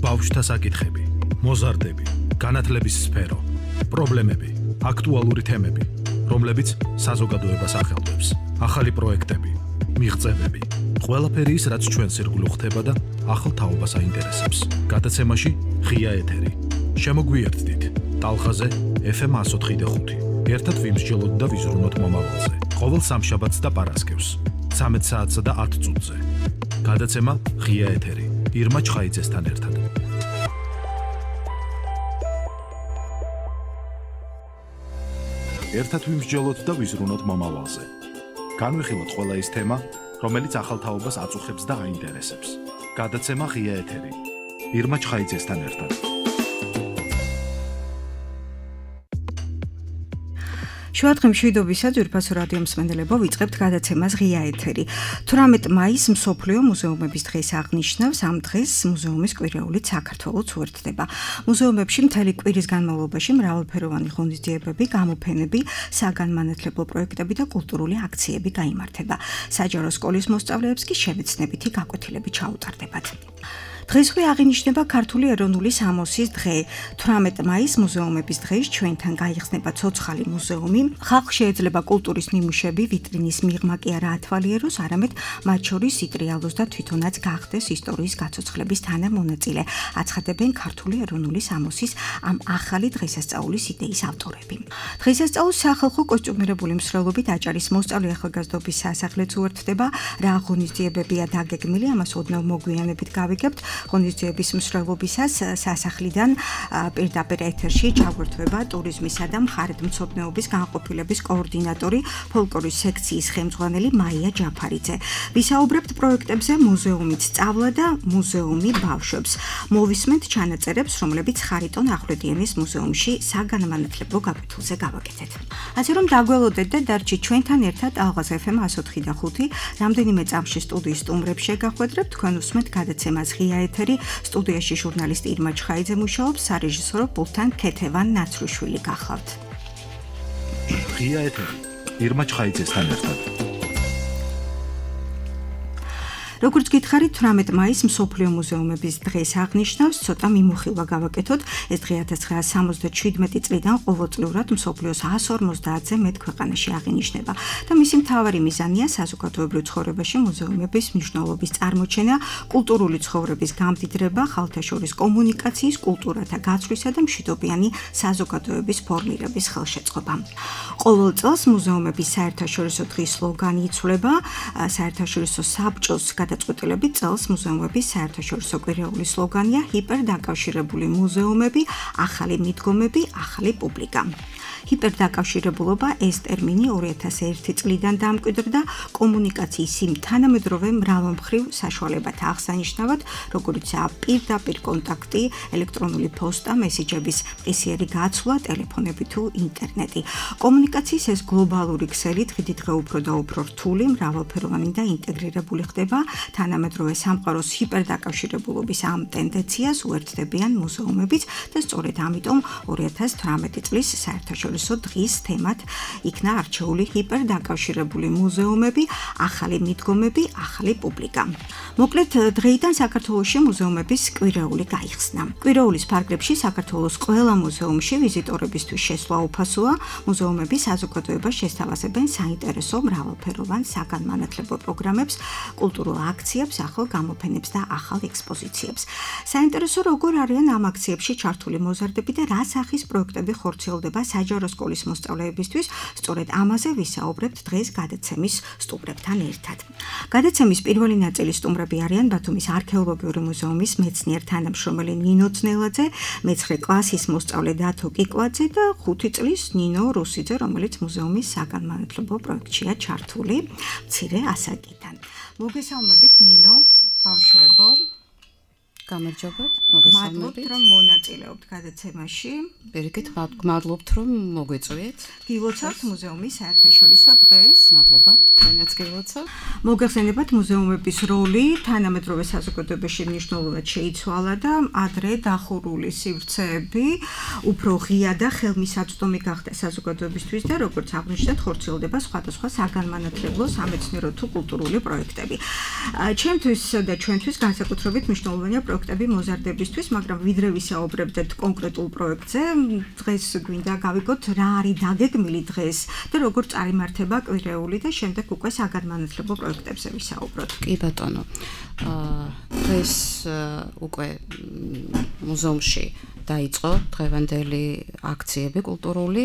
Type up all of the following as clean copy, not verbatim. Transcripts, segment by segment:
ბავშვთა საკითხები, მოზარდები, განათლების სფერო, პრობლემები, აქტუალური თემები, რომლებიც საზოგადოებას ახელვებს, ახალი პროექტები, მიღწევები, ყველაფერი ის, რაც ჩვენ სირგულო ხდება და ახალ თაობას აინტერესებს. გადაცემაში ღია ეთერი. შემოგვიერთდით ტალღაზე FM 104.5. ერთად ვიმსჯელოთ და ვიზრუნოთ მომავალზე. ყოველ სამშაბათს და პარასკევს 13 საათსა და 10 წუთზე. გადაცემა ღია ეთერი. ირმა ჩხაიძესთან ერთად. ერთად ვიმსჯელოთ და ვიზრუნოთ მომავალზე. განვიხილოთ ყველა ის თემა, რომელიც ახალ თაობას აწუხებს და აინტერესებს. გადაცემა ღია ეთერი. ირმა ჩხაიძესთან ერთად. შუადღე მშვიდობისა ძვირფასო რადიო მსმენელებო, ვიწყებთ გადაცემას ღია ეთერი. 18 მაისს მსოფლიო მუზეუმების დღეს აღნიშნავს. ამ დღეს მუზეუმის კვირეულით საქართველოს უერთდება. მუზეუმებში მთელი კვირის განმავლობაში მრავალფეროვანი ღონისძიებები, გამოფენები, საგანმანათლებლო პროექტები და კულტურული აქციები გაიმართება. საჯარო სკოლის მოსწავლეებს კი შევეცნებითი გაკვეთილები ჩაუტარდებათ. დღესვე აღინიშნება ქართული ეროვნული სამოსის დღე. 18 მაისს მუზეუმების დღეს ჩვენთან გაიხსნება ცოცხალი მუზეუმი. ხალხს შეიძლება კულტურის ნიმუშები ვიტრინის მიღმა კი არა ათვალიეროს, არამედ მათ შორის იტრიალოს და თვითონაც გახდეს ისტორიის გაცოცხლების თანამონაწილე, აცხადებენ ქართული ეროვნული სამოსის ამ ახალი დღესასწაულის იდეის ავტორები. დღესასწაულს სახალხო კოსტიუმირებული მსვლელობით აჭარის მოსწავლე ახალგაზრდობის სასახლეც უერთდება. რა ღონისძიებებია დაგეგმილი, ამას ოდნავ მოგვიანებით გავიგებთ. ღონისძიების მსვლელობისას სასახლიდან პირდაპირ ეთერში ჩაგვერთვება ტურიზმისა და მხარეთმცოდნეობის განყოფილების კოორდინატორი, ფოლკლორის სექციის ხელმძღვანელი მაია ჯაფარიძე. ვისაუბრებთ პროექტებზე მუზეუმით სწავლა და მუზეუმი ბავშვებს. მოვისმენთ ჩანაწერებს, რომლებიც ხარიტონ ახვლედიანის მუზეუმში საგანმანათლებლო გაკვეთილზე გავაკეთეთ. ასე რომ დაგველოდეთ და დარჩით ჩვენთან ერთად ალღაზ FM 104.5. რამდენიმე წამში სტუდიის სტუმრებს შეგახვედრებთ, თქვენ უსმენთ გადაცემას ღია ეთერი. სტუდიაში ჟურნალისტი ირმა ჩხაიძე მუშაობს, სარეჟისორო პულტთან ქეთევან ნაცრუშვილი გახლავთ. ღია ეთერი. ირმა ჩხაიძესთან ერთად. როგორც გითხარით, 18 მაისს მსოფლიო მუზეუმების დღეს აღნიშნავს. ცოტა მიმოხილვა გავაკეთოთ. ეს დღე 1977 წლიდან ყოველწლიურად მსოფლიოს 150-ზე მეტ ქვეყანაში აღინიშნება და მისი მთავარი მიზანია საზოგადოებრივ ცხოვრებაში მუზეუმების მნიშვნელობის წარმოჩენა, კულტურული ცხოვრების გამდიდრება, ხალხთა კომუნიკაციის, კულტურათა გაცვლისა და მშვიდობიანი საზოგადოების ფორმირების ხელშეწყობა. ყოველ წელს მუზეუმების საერთაშორისო დღის სლოგანი იცვლება. საერთაშორისო საბჭოს გადაწყვეტილებით წელს მუზეუმების საერთაშორისო კვირეული სლოგანია ჰიპერდაკავშირებული მუზეუმები, ახალი მიდგომები, ახალი პუბლიკა. ჰიპერდაკავშირებულობა ეს ტერმინი 2001 წლიდან დამკვიდრდა კომუნიკაციის იმ თანამედროვე მრავალმხრივ საშუალებათა აღსანიშნავად, როგორიცაა პირდაპირ კონტაქტი, ელექტრონული პოსტა, მესიჯების მყისიერი გაცვლა, ტელეფონები თუ ინტერნეტი. კომუნიკაციის ეს გლობალური ქსელი დღიდიდღე უფრო და უფრო რთული, მრავალფეროვანი და ინტეგრირებული ხდება. თანამედროვე სამყაროს ჰიპერდაკავშირებულობის ამ ტენდენციას უერთდებიან მუზეუმებიც და სწორედ ამიტომ 2018 წლის საერთაშორისო დღის თემად იქნა არჩეული ჰიპერდაკავშირებული მუზეუმები, ახალი მიდგომები, ახალი პუბლიკა. მოკლედ, დღეიდან საქართველოში მუზეუმების კვირეული გაიხსნა. კვირეულის ფარგლებში საქართველოს ყველა მუზეუმში ვიზიტორებისთვის შესვლა უფასოა. მუზეუმები საზოგადოებას შესთავაზებენ საინტერესო მრავალფეროვან საგანმანათლებლო პროგრამებს, კულტურულ აქციებს, ახალ გამოფენებს და ახალ ექსპოზიციებს. საინტერესო როგორ არიან ამ აქციებში ჩართული მოზარდები და რა სახის პროექტები ხორციელდება საჯარო სკოლის მოსწავლეებისთვის, სწორედ ამაზე ვისაუბრებთ დღეს გადაცემის სტუმრებთან ერთად. გადაცემის პირველი ნაწილის სტუმრები არიან ბათუმის არქეოლოგიური მუზეუმის მეცნიერ თანამშრომელი ნინო ძნელაძე, მე-9 კლასის მოსწავლე დათო კიკვაძე და 5 წლის ნინო რუსიძე, რომელიც მუზეუმის საგანმანათლებლო პროექტშია ჩართული მცირე ასაკიდან. მოგესალმებით ნინო, ბავშვებო. გამარჯობათ, მოგესალმებით. მადლობთ, რომ მონაწილეობთ გადაცემაში. პირიქით, მადლობთ, რომ მოგვიწვიეთ. გილოცავთ მუზეუმის საერთაშორისო დღეს. მადლობა, თქვენაც გილოცავ. მოგეხსენებათ მუზეუმების როლი თანამედროვე საზოგადოებაში მნიშვნელოვნად შეიცვალა და ადრე დახურული სივრცეები უფრო ღია და ხელმისაწვდომი გახდა საზოგადოებისთვის და როგორც აღნიშნეთ, ხორციელდება სხვადასხვა საგანმანათლებლო, სამეცნიერო თუ კულტურული პროექტები. ჩემთვის და ჩვენთვის განსაკუთრებით მნიშვნელოვანია პროექტები მოზარდებისთვის, მაგრამ ვიდრე ვისაუბრებდეთ კონკრეტულ პროექტზე, დღეს გვინდა გავიგოთ რა არის დაგეგმილი დღეს და როგორ წარიმართება კვირეული და შემდეგ უკვე საგანმანათლებლო პროექტებზე ვისაუბროთ. კი ბატონო. დღეს უკვე მუზეუმში დაიწყო დღევანდელი აქციები კულტურული.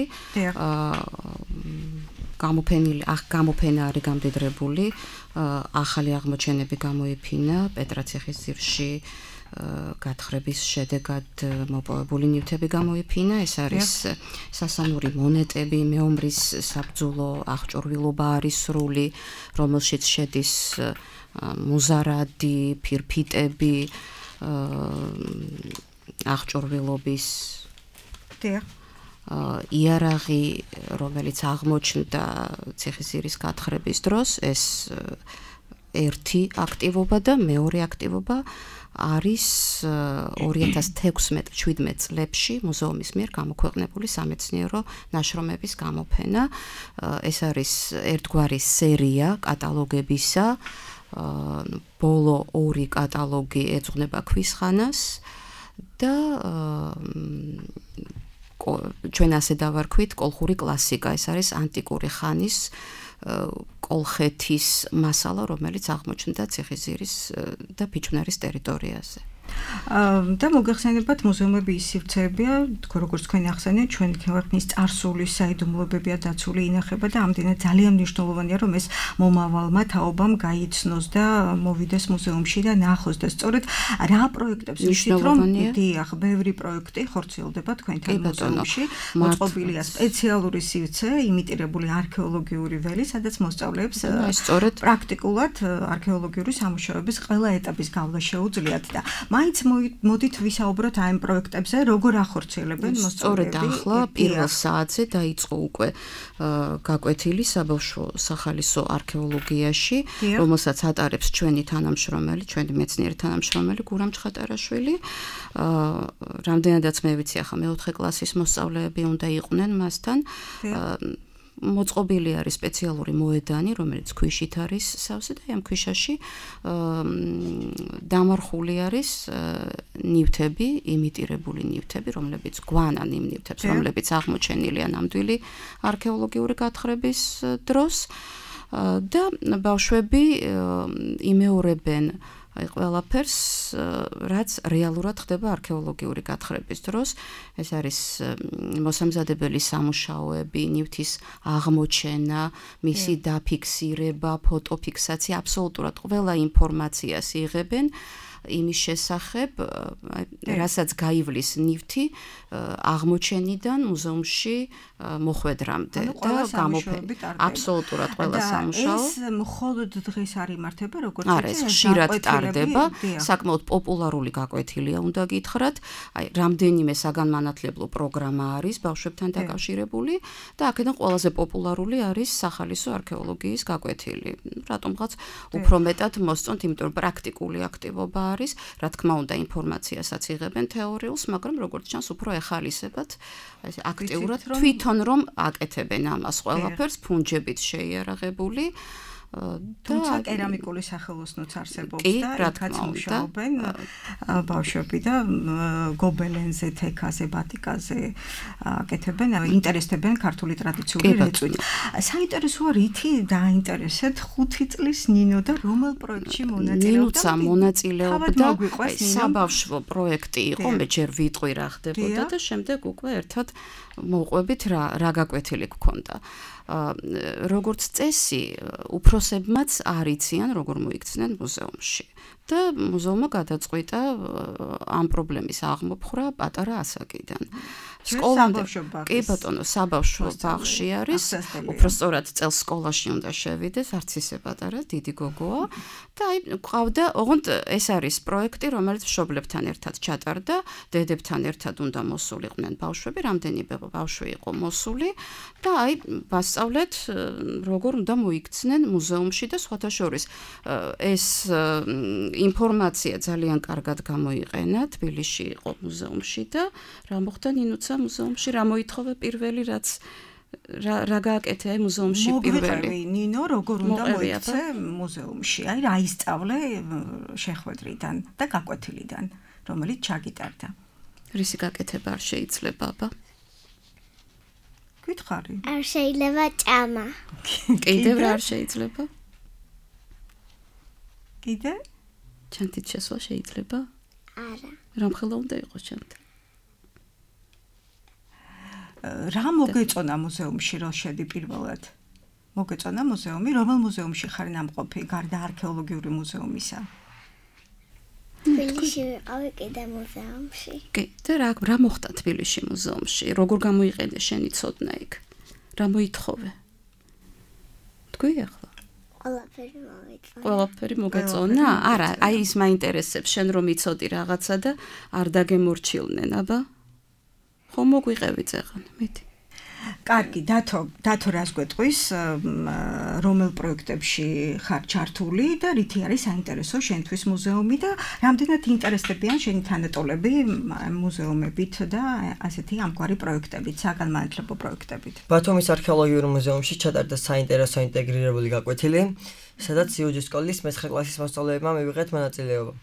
გამოფენა არის გამდიდრებული, ახალი აღმოჩენები გამოიფინა პეტრაციხის ძირში გათხრების შედეგად მოპოვებული ნივთები გამოიფინა. ეს არის სასანური მონეტები, მეომრის საბრძოლო აღჭურვილობა არის სრული, რომელშიც შედის მუზარადი, ფირფიტები, აღჭურვილობის იარაღი, რომელიც აღმოჩნდა ციხისძირის გათხრების დროს, ეს ერთი აქტივობა და მეორე აქტივობა არის 2016-17 წლებში მუზეუმის მიერ გამოქვეყნებული სამეცნიერო ნაშრომების გამოფენა. ეს არის ერთგვარი სერია კატალოგებისა. ბოლო 2 კატალოგი ეძღვნება ქვისხანას და ჩვენ ასე დავარქვით კოლხური კლასიკა. ეს არის ანტიკური ხანის კოლხეთის მასალა, რომელიც აღმოჩნდა ციხისძირის და ფიჭვნარის ტერიტორიაზე. და მოგეხსენებათ მუზეუმები ის სივრცეებია, როგორც თქვენ ახსენეთ, ჩვენ ქვეყნის წარსულის საიდუმლოებებია დაცული ინახება და ამდენად ძალიან მნიშვნელოვანია, რომ ეს მომავალმა თაობამ გაიცნოს და მოვიდეს მუზეუმში და ნახოს და სწორედ რა პროექტებს ვიცით, რომ დიახ, ბევრი პროექტი ხორციელდება თქვენთან მუზეუმში. მოწყობილია სპეციალური სივრცე, იმიტირებული არქეოლოგიური ველი, სადაც მოსწავლეებს პრაქტიკულად არქეოლოგიური სამუშაოების ყველა ეტაპის გავლა შეუძლიათ და მაინც მოდით ვისაუბროთ ამ პროექტებზე, როგორ ახორციელებენ მოსწავლეები. სწორედ ახლა პირველ საათზე დაიწყო უკვე გაკვეთილი საბავშვო სახალისო არქეოლოგიაში, რომელსაც ატარებს ჩვენი მეცნიერი თანამშრომელი გურამ ჩხატარაშვილი. რამდენადაც მე ვიცი, ახლა მეოთხე კლასის მოსწავლეები უნდა იყვნენ მასთან. მოწყობილი არის სპეციალური მოედანი, რომელიც ქვიშით არის სავსე და ამ ქვიშაში დამარხული არის ნივთები, იმიტირებული ნივთები, რომლებიც გვანან იმ ნივთებს, რომლებიც აღმოჩენილია ნამდვილი არქეოლოგიური გათხრების დროს და ბავშვები იმეორებენ ყველაფერს, რაც რეალურად ხდება არქეოლოგიური გათხრების დროს. ეს არის მოსამზადებელი სამუშაოები, ნივთის აღმოჩენა, მისი დაფიქსირება, ფოტოფიქსაცია, აბსოლუტურად ყველა ინფორმაციას იღებენ იმის შესახებ, რასაც გაივლის ნივთი აღმოჩენიდან მუზეუმში მოხვედრამდე და გამოფენა. აბსოლუტურად ყველა სამუშაო. ეს მხოლოდ დღეს არ იმართება, როგორც ეს ხშირად ტარდება, საკმაოდ პოპულარული გაკვეთილია, უნდა გითხრათ. რამდენიმე საგანმანათლებლო პროგრამა არის ბავშვებთან დაკავშირებული და აქედან ყველაზე პოპულარული არის სახალისო არქეოლოგიის გაკვეთილი. რატომღაც უფრო მეტად მოსწონთ, იმიტომ რომ პრაქტიკული აქტივობა არის, რა თქმა უნდა, ინფორმაციასაც იღებენ თეორიულს, მაგრამ როგორც ჩანს, უფრო ეხალისებათ აქტიურად თვითონ რომ აკეთებენ ამას ყველაფერს, ფუნჯებით შეიარაღებული. თუმცა კერამიკული სახელოსნოც არსებობს და იქაც მუშაობენ ბავშვები და გობელენზე, თექაზე, ბატიკაზე აკეთებენ, ინტერესდებენ ქართული ტრადიციული რეწვით. საინტერესოა რითი დაინტერესეთ 5 წლის ნინო და რომელ პროექტში მონაწილეობდა? ნინოცა მონაწილეობდა საბავშვო პროექტი იყო, მე ჯერ ვიტყვი რა ხდებოდა და შემდეგ უკვე ერთად მოვყვებით რა გაკვეთილი გქონდა. როგორც წესი, უფროსებმაც არ იციან, როგორ მოიქცნენ მუზეუმში. და მუზეუმმა გადაწყვიტა ამ პრობლემის აღმოფხვრა პატარა ასაკიდან. კი ბატონო, საბავშვო ბაღში არის, უფრო სწორად წელს სკოლაში უნდა შევიდეს, არც ისე პატარა, დიდი გოგოა და ყავდა, ოღონდ ეს არის პროექტი, რომელიც მშობლებთან ერთად ჩატარდა, დედებთან ერთად უნდა მოსულიყვნენ ბავშვები, რამდენიმე ბავშვი იყო მოსული და ვასწავლეთ, როგორ უნდა მოიქცნენ მუზეუმში და სხვათა შორის ეს ინფორმაცია ძალიან კარგად გამოიყენა, თბილისში იყო მუზეუმში და რა მოხდა ნინუცა მუზეუმში, რა მოითხოვა პირველი, რაც რა გააკეთე მუზეუმში პირველი? ნინო, როგორ უნდა მოიქცე მუზეუმში? აი რა ისწავლე შეხვედრიდან და გაკვეთილიდან, რომელიც ჩაგიტარდა. რისი გაკეთება არ შეიძლება, აბა? გითხარი. არ შეიძლება ჭამა. კიდევ რა არ შეიძლება? კიდე? ჩანთით შესვლა შეიძლება? არა. რამხელა უნდა იყოს ჩანთი? რა მოგეწონა მუზეუმში რო შედი პირველად? მოგეწონა მუზეუმი, რომელ მუზეუმში ხარ ნამყოფი, გარდა არქეოლოგიური მუზეუმისა? თბილისში ვიყავი კიდე მუზეუმში. კი, და რა მოხდა თბილისში მუზეუმში? როგორ გამოიყენე შენი ცოდნა იქ? რა მოითხოვე? თქვი ახლა? ყველაფერი მოვიწონა. ყველაფერი მოგეწონა? არა, აი ის მაინტერესებს შენ რომ იცოდი რაღაცა და არ დაგემორჩილნენ, აბა? ხომ მოგვიყევი წეღან, მიდი. კარგი, დათო რას გვეტყვის, რომელ პროექტებში ხარ ჩართული და რითი არის საინტერესო შენთვის მუზეუმი და რამდენად ინტერესდებიან შენი თანატოლები მუზეუმებით და ასეთი ამგვარი პროექტებით, საგანმანათლებლო პროექტებით. ბათუმის არქეოლოგიურ მუზეუმში ჩატარდა საინტერესო ინტეგრირებული გაკვეთილი, სადაც იუჯის სკოლის მე-9 კლასის მოსწავლეებმა მივიღეთ მონაწილეობა.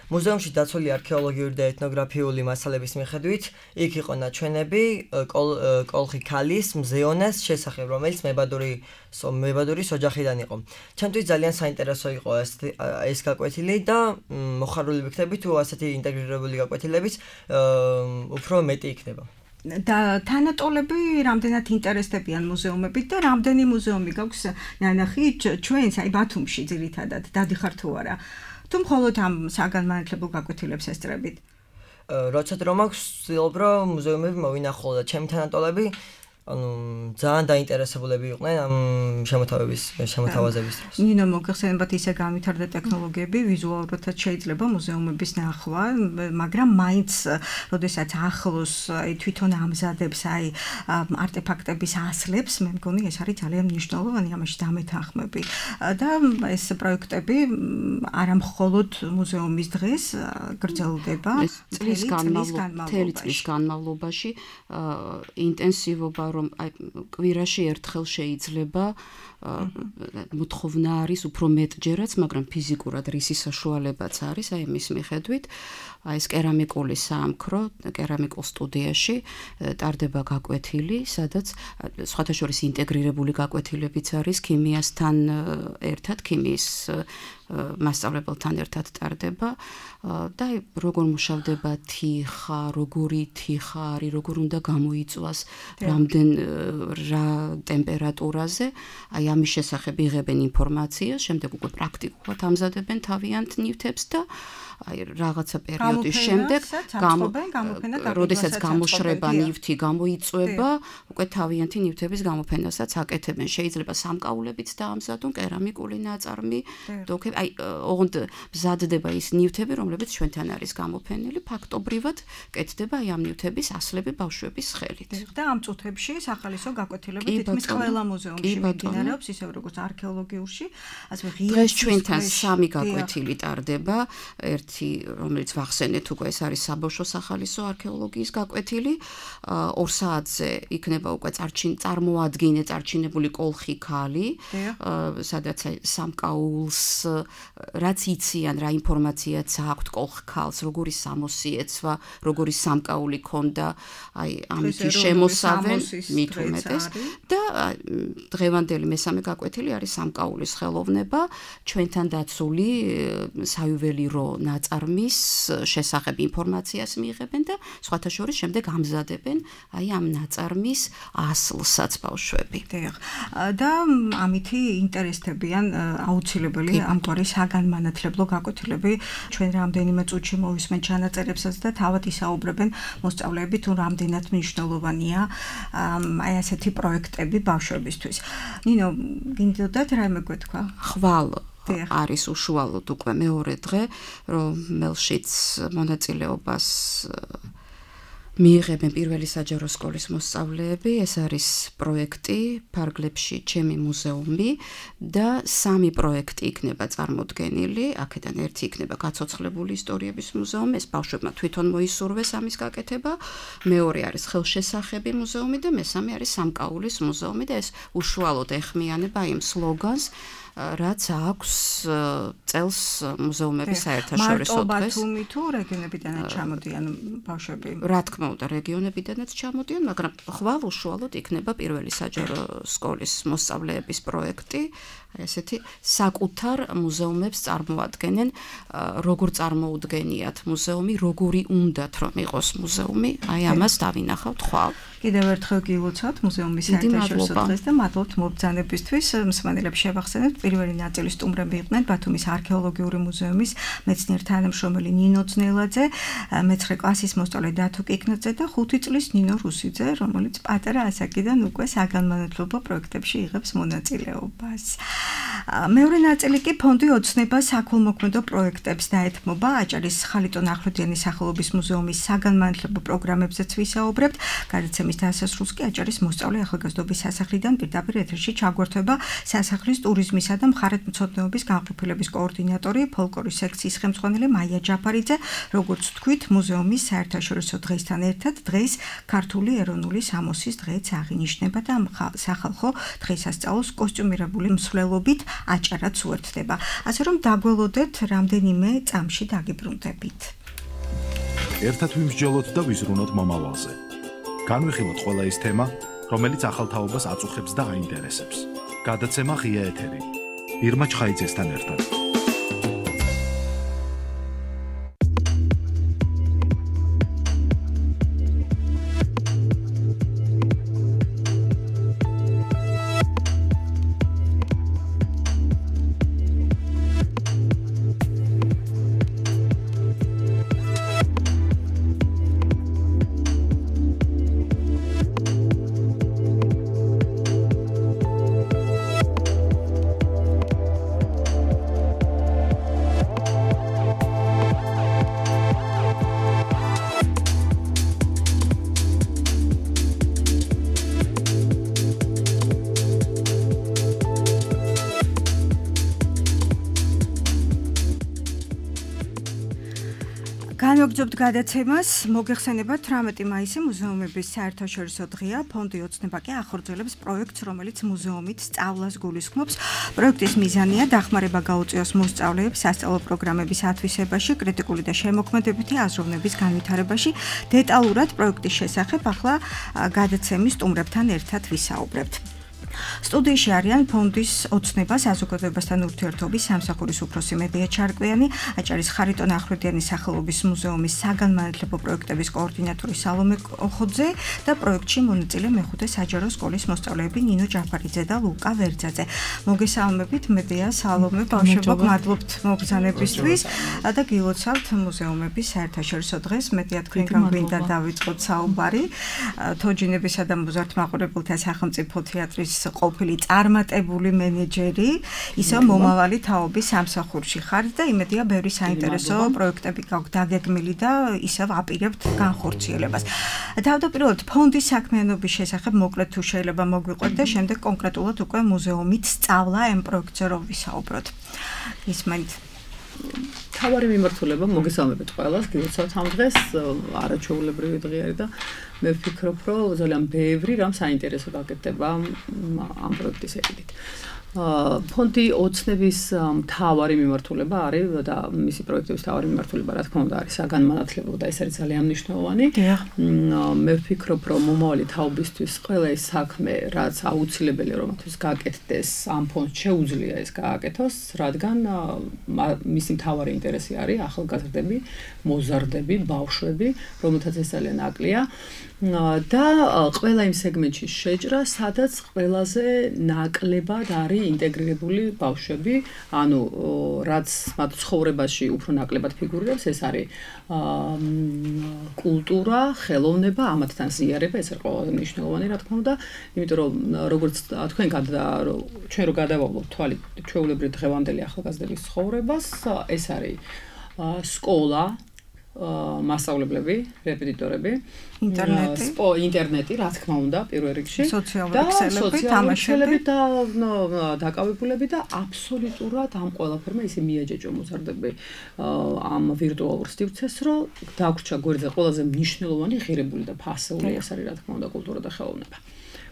მუზეუმში დაცული არქეოლოგიური და ეთნოგრაფიული მასალების მიხედვით იქ იყო ნაჩვენები კოლხი ქალის მზეონას შესახებ, რომელიც მებადურის ოჯახიდან იყო. ჩემთვის ძალიან საინტერესო იყო ეს გაკვეთილი და მოხარული ვიქნები თუ ასეთი ინტეგრირებული გაკვეთილების უფრო მეტი იქნება. და თანატოლები რამდენად ინტერესდებიან მუზეუმებით და რამდენი მუზეუმი გაქვს ნანახი ჩვენს აი ბათუმში ძირითადად დადიხარ თუ არა? თუ მხოლოდ ამ საგანმანათლებლო გაკვეთილებს ესწრებით? როცა რომ აქვს ვცდილობ რომ მუზეუმები მოვინახულო და ჩემი თანატოლები ძალიან დაინტერესებულები იყვნენ ამ შემოთავაზების დროს. ნინო, მოგეხსენებათ ისე განვითარდა ტექნოლოგიები, ვიზუალურადაც შეიძლება მუზეუმების ნახვა, მაგრამ მაინც, როდესაც ახლოს თვითონ ამზადებს არტეფაქტების ასლებს, მე მგონი ეს არის ძალიან მნიშვნელოვანი, ამაში დამეთანხმები. და ეს პროექტები არა მხოლოდ მუზეუმის დღეს გრძელდება, მთელი წლის განმავლობაში ინტენსივობა რომ კვირაში ერთხელ შეიძლება მოთხოვნა არის უფრო მეტჯერაც, მაგრამ ფიზიკურად რისი საშუალებაც არის, აი მის მიხედვით, ეს კერამიკული საამქრო, კერამიკულ სტუდიაში ტარდება გაკვეთილი, სადაც სხვათა შორის ინტეგრირებული გაკვეთილებიც არის ქიმიასთან ერთად, ქიმიის მასწავლებელთან ერთად ტარდება და როგორ მუშავდება თიხა, როგორი თიხა არის, როგორ უნდა გამოიწვას, რამდენ რა ტემპერატურაზე, აი ამის შესახებ იღებენ ინფორმაციას, შემდეგ უკვე პრაქტიკულად ამზადებენ თავიანთ ნივთებს და აი რაღაცა პერიოდის შემდეგ როდესაც გამოშრება ნივთი გამოიწვება, უკვე თავიანთი ნივთების გამოფენასაც აკეთებენ. შეიძლება სამკაულებიც დაამზადონ, კერამიკული ნაწარმი, აი ოღონდ მზადდება ის ნივთები, რომლებიც ჩვენთან არის გამოფენილი, ფაქტობრივად კეთდება აი ამ ნივთების ასლები ბავშვების ხელით. და ამ წუთებში სახალისო გაკვეთილები თითქმის ყველა მუზეუმში მიმდინარეობს, ისევ როგორც არქეოლოგიურში, ასე ღია. დღეს ჩვენთან 3 გაკვეთილი ტარდება, რომელიც ვახსენეთ უკვე ეს არის საბავშვო სახალისო არქეოლოგიის გაკვეთილი 2 საათზე იქნება უკვე წარმოადგინებული კოლხი ქალი სადაც სამკაულს რაც იციან რა ინფორმაციაც აქვთ კოლხ ქალს როგორი სამოსიეცვა როგორი სამკაული ქონდა აი ამითი შემოსავენ მით უმეტეს და დღევანდელი მესამე გაკვეთილი არის სამკაულის ხელოვნება ჩვენთან დაცული საიუველირო ნაწარმის შესახებ ინფორმაციას მიიღებენ და სხვათა შორის შემდეგ ამზადებენ აი ამ ნაწარმის ასლსაც ბავშვები. და ამითი ინტერესდებიან აუცილებელი ამგვარი საგანმანათლებლო გაკვეთილები ჩვენ რამდენიმე წუთში მოვისმენთ ჩანაწერებსაც და თავად ისაუბრებენ მოსწავლეები თუ რამდენად მნიშვნელოვანია აი ასეთი პროექტები ბავშვებისთვის. ნინო, გინდოდათ რაიმე გვეთქვა? ხვალ არის უშუალოდ უკვე მეორე დღე, რომელშიც მონაწილეობას მიიღებენ პირველი საჯარო სკოლის მოსწავლეები, ეს არის პროექტი ფარგლებში ჩემი მუზეუმი და 3 პროექტი იქნება წარმოდგენილი, აქედან ერთი იქნება გაცოცხლებული ისტორიების მუზეუმი, ეს ბავშვებმა თვითონ მოისურვეს ამის გაკეთება, მეორე არის ხელშესახები მუზეუმი და მესამე არის სამკაულის მუზეუმი და ეს უშუალოდ ეხმიანება იმ სლოგანს რაც აქვს წელს მუზეუმების საერთაშორისო დღეს. მარტო ბათუმი თუ რეგიონებიდანაც ჩამოდიან ბავშვები? რა თქმა უნდა, რეგიონებიდანაც ჩამოდიან, მაგრამ ხვალ უშუალოდ იქნება პირველი საჯარო სკოლის მოსწავლეების პროექტი, ესეთი საკუთარ მუზეუმებს წარმოადგენენ, როგორ წარმოუდგენიათ მუზეუმი, როგორი უნდათ რომ იყოს მუზეუმი, აი ამას დავინახავთ ხვალ. კიდევ ერთხელ გილოცავთ მუზეუმის საერთაშორისო დღეს და მადლობთ მობრძანებისთვის. მსმენელებს შევახსენებთ, პირველი ნაწილის სტუმრები იყვნენ ბათუმის არქეოლოგიური მუზეუმის მეცნიერ თანამშრომელი ნინო ძნელაძე, მე-9 კლასის მოსწავლე დათო კიკნაძე და 5 წლის ნინო რუსიძე, რომელიც პატარა ასაკიდან უკვე საგანმანათლებლო პროექტებში იღებს მონაწილეობას. მეორე ნაწილი კი ფონდი ოცნება საქველმოქმედო პროექტებს დაეთმობა. აჭარის ხალიტონ ახვლედიანის სახელობის მუზეუმის საგანმანათლებლო პროგრამებზეც ვისაუბრებთ. გადაცემის დასასრულს კი აჭარის მოსწავლე ახალგაზრდობის სასახლიდან პირდაპირ ეთერში ჩაგვერთვება სასახლის ტურიზმისა და მხარეთმცოდნეობის განყოფილების კოორდინატორი, ფოლკლორის სექციის ხელმძღვანელი მაია ჯაფარიძე, როგორც თქვით, მუზეუმის საერთაშორისო დღესთან ერთად დღეს ქართული ეროვნული სამოსის დღეც აღინიშნება და სახალხო დღესასწაულს კოსტიუმირებული მსვლელობით აჭარაც უერთდება. ასე რომ დაგველოდეთ რამდენიმე წამში დაგიბრუნდებით. ერთად ვიმსჯელოთ და ვიზრუნოთ მომავალზე. განვიხილოთ ყველა ის თემა, რომელიც ახალთაობას აწუხებს და აინტერესებს. გადაცემა ღია ეთერი. ირმა ჩხაიძესთან ერთად. განვაგრძობთ გადაცემას, მოგეხსენებათ 18 მაისი მუზეუმების საერთაშორისო დღეა, ფონდი ოცნება კი ახორციელებს პროექტს, რომელიც მუზეუმით სწავლას გულისხმობს. პროექტის მიზანია დახმარება გაუწიოს მოსწავლეებს სასწავლო პროგრამების ათვისებაში, კრიტიკული და შემოქმედებითი აზროვნების განვითარებაში. დეტალურად პროექტის შესახებ ახლა გადაცემის სტუმრებთან ერთად ვისაუბრებთ. სტუდიაში არიან ფონდის ოცნება საზოგადოებასთან ურთიერთობის სამსახურის უფროსი მედია ჩარკვიანი, აჭარის ხარიტონ ახვლედიანის სახელობის მუზეუმის საგანმანათლებლო პროექტების კოორდინატორი სალომე ოხოძე და პროექტში მონაწილე მე-5 საჯარო სკოლის მოსწავლეები ნინო ჯაფარიძე და ლუკა ვერძაძე. მოგესალმებით მედია, სალომე, ბავშვებო, მადლობთ მობრძანებისთვის და გილოცავთ მუზეუმების საერთაშორისო დღეს. მედია, თქვენგან გვინდა დავიწყოთ საუბარი თოჯინებისა და მოზარდ-მაყურებელთა სახელმწიფო თეატრის ყოფილი წარმატებული მენეჯერი, ისევ მომავალი თაობის სამსახურში ხართ და იმედია ბევრი საინტერესო პროექტები გაქვთ დაგეგმილი და ისევ აპირებთ განხორციელებას. თავდაპირველად ფონდის საქმიანობის შესახებ მოკლედ თუ შეიძლება მოგვიყვეთ და შემდეგ კონკრეტულად უკვე მუზეუმით სწავლა ამ პროექტზე რომ ვისაუბროთ. ისმენთ თავარი მიმართულება მოგესალმებით ყველას, გილოცავთ ამ დღეს, არაჩვეულებრივი დღე არის და მე ვფიქრობ, რომ ძალიან ბევრი რამ საინტერესო გაკეთდება ამ პროექტის ეკიდით. ფონდი ოცნების მთავარი მიმართულება არის და მისი პროექტების მთავარი მიმართულება რა თქმა უნდა არის საგანმანათლებლო და ეს არის ძალიან მნიშვნელოვანი. მე ვფიქრობ, რომ მომავალი თაობისთვის ყველა ეს საქმე, რაც აუცილებელია რომ მათთვის გაკეთდეს, ამ ფონდს შეუძლია ეს გააკეთოს, რადგან მისი მთავარი ინტერესი არის ახალგაზრდები, მოზარდები, ბავშვები, რომელთაც ეს ძალიან ნაკლია. და ყველა იმ სეგმენტში შეჭრა, სადაც ყველაზე ნაკლებად არის ინტეგრირებული ბავშვები, ანუ რაც მათ ცხოვრებაში უფრო ნაკლებად ფიგურირებს, ეს არის კულტურა, ხელოვნება, ამათთან ზიარება, ეს არის ყველაზე მნიშვნელოვანი, რა თქმა უნდა, იმიტომ რომ როგორც თქვენ ჩვენ რო გადავავლოთ თვალით ჩვეულებრივ დღევანდელი ახალგაზრდების ცხოვრებას, ეს არის სკოლა, მასწავლებლები, რეპეტიტორები, ინტერნეტი, რა თქმა უნდა, პირველ რიგში, სოციალური ქსელები, და დაკავებულები და აბსოლუტურად ამ ყველაფერმა ისე მიაჯეჭვა მოზარდები ამ ვირტუალურ სივრცეს, რომ დაგვრჩა გვერდზე ყველაზე მნიშვნელოვანი ღირებული და ფასეული ეს არის რა თქმა უნდა კულტურა და ხელოვნება.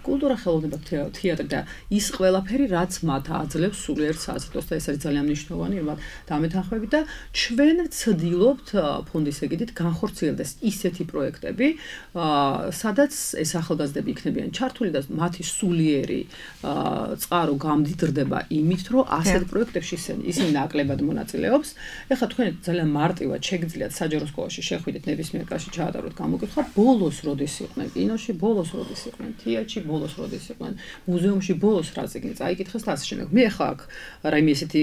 კულტურა, ხელოვნება, თეატრი და ის ყველაფერი, რაც მათ აძლევს სულიერ საზრდოს და ეს არის ძალიან მნიშვნელოვანი, რომ დამეთანხმებით და ჩვენ ვცდილობთ ფონდის ეგიდით განხორციელდეს ისეთი პროექტები, სადაც ეს ახალგაზრდები იქნებიან ჩართული და მათი სულიერი წყარო გამდიდრდება იმით, რომ ასეთ პროექტებში ისინი ნაკლებად მონაწილეობს. ეხლა თქვენ ძალიან მარტივად შეგიძლიათ საჯარო სკოლაში შეხვიდეთ ნებისმიერ კლასში ჩაატაროთ გამოკითხვა, ბოლოს როდის იყვნენ კინოში, ბოლოს როდის იყვნენ თეატრში, ბოლოს როდის იყვნენ მუზეუმში, ბოლოს რა წიგნი წაიკითხეს და ასე შემდეგ. მე ახლა აქ რაიმე ესეთი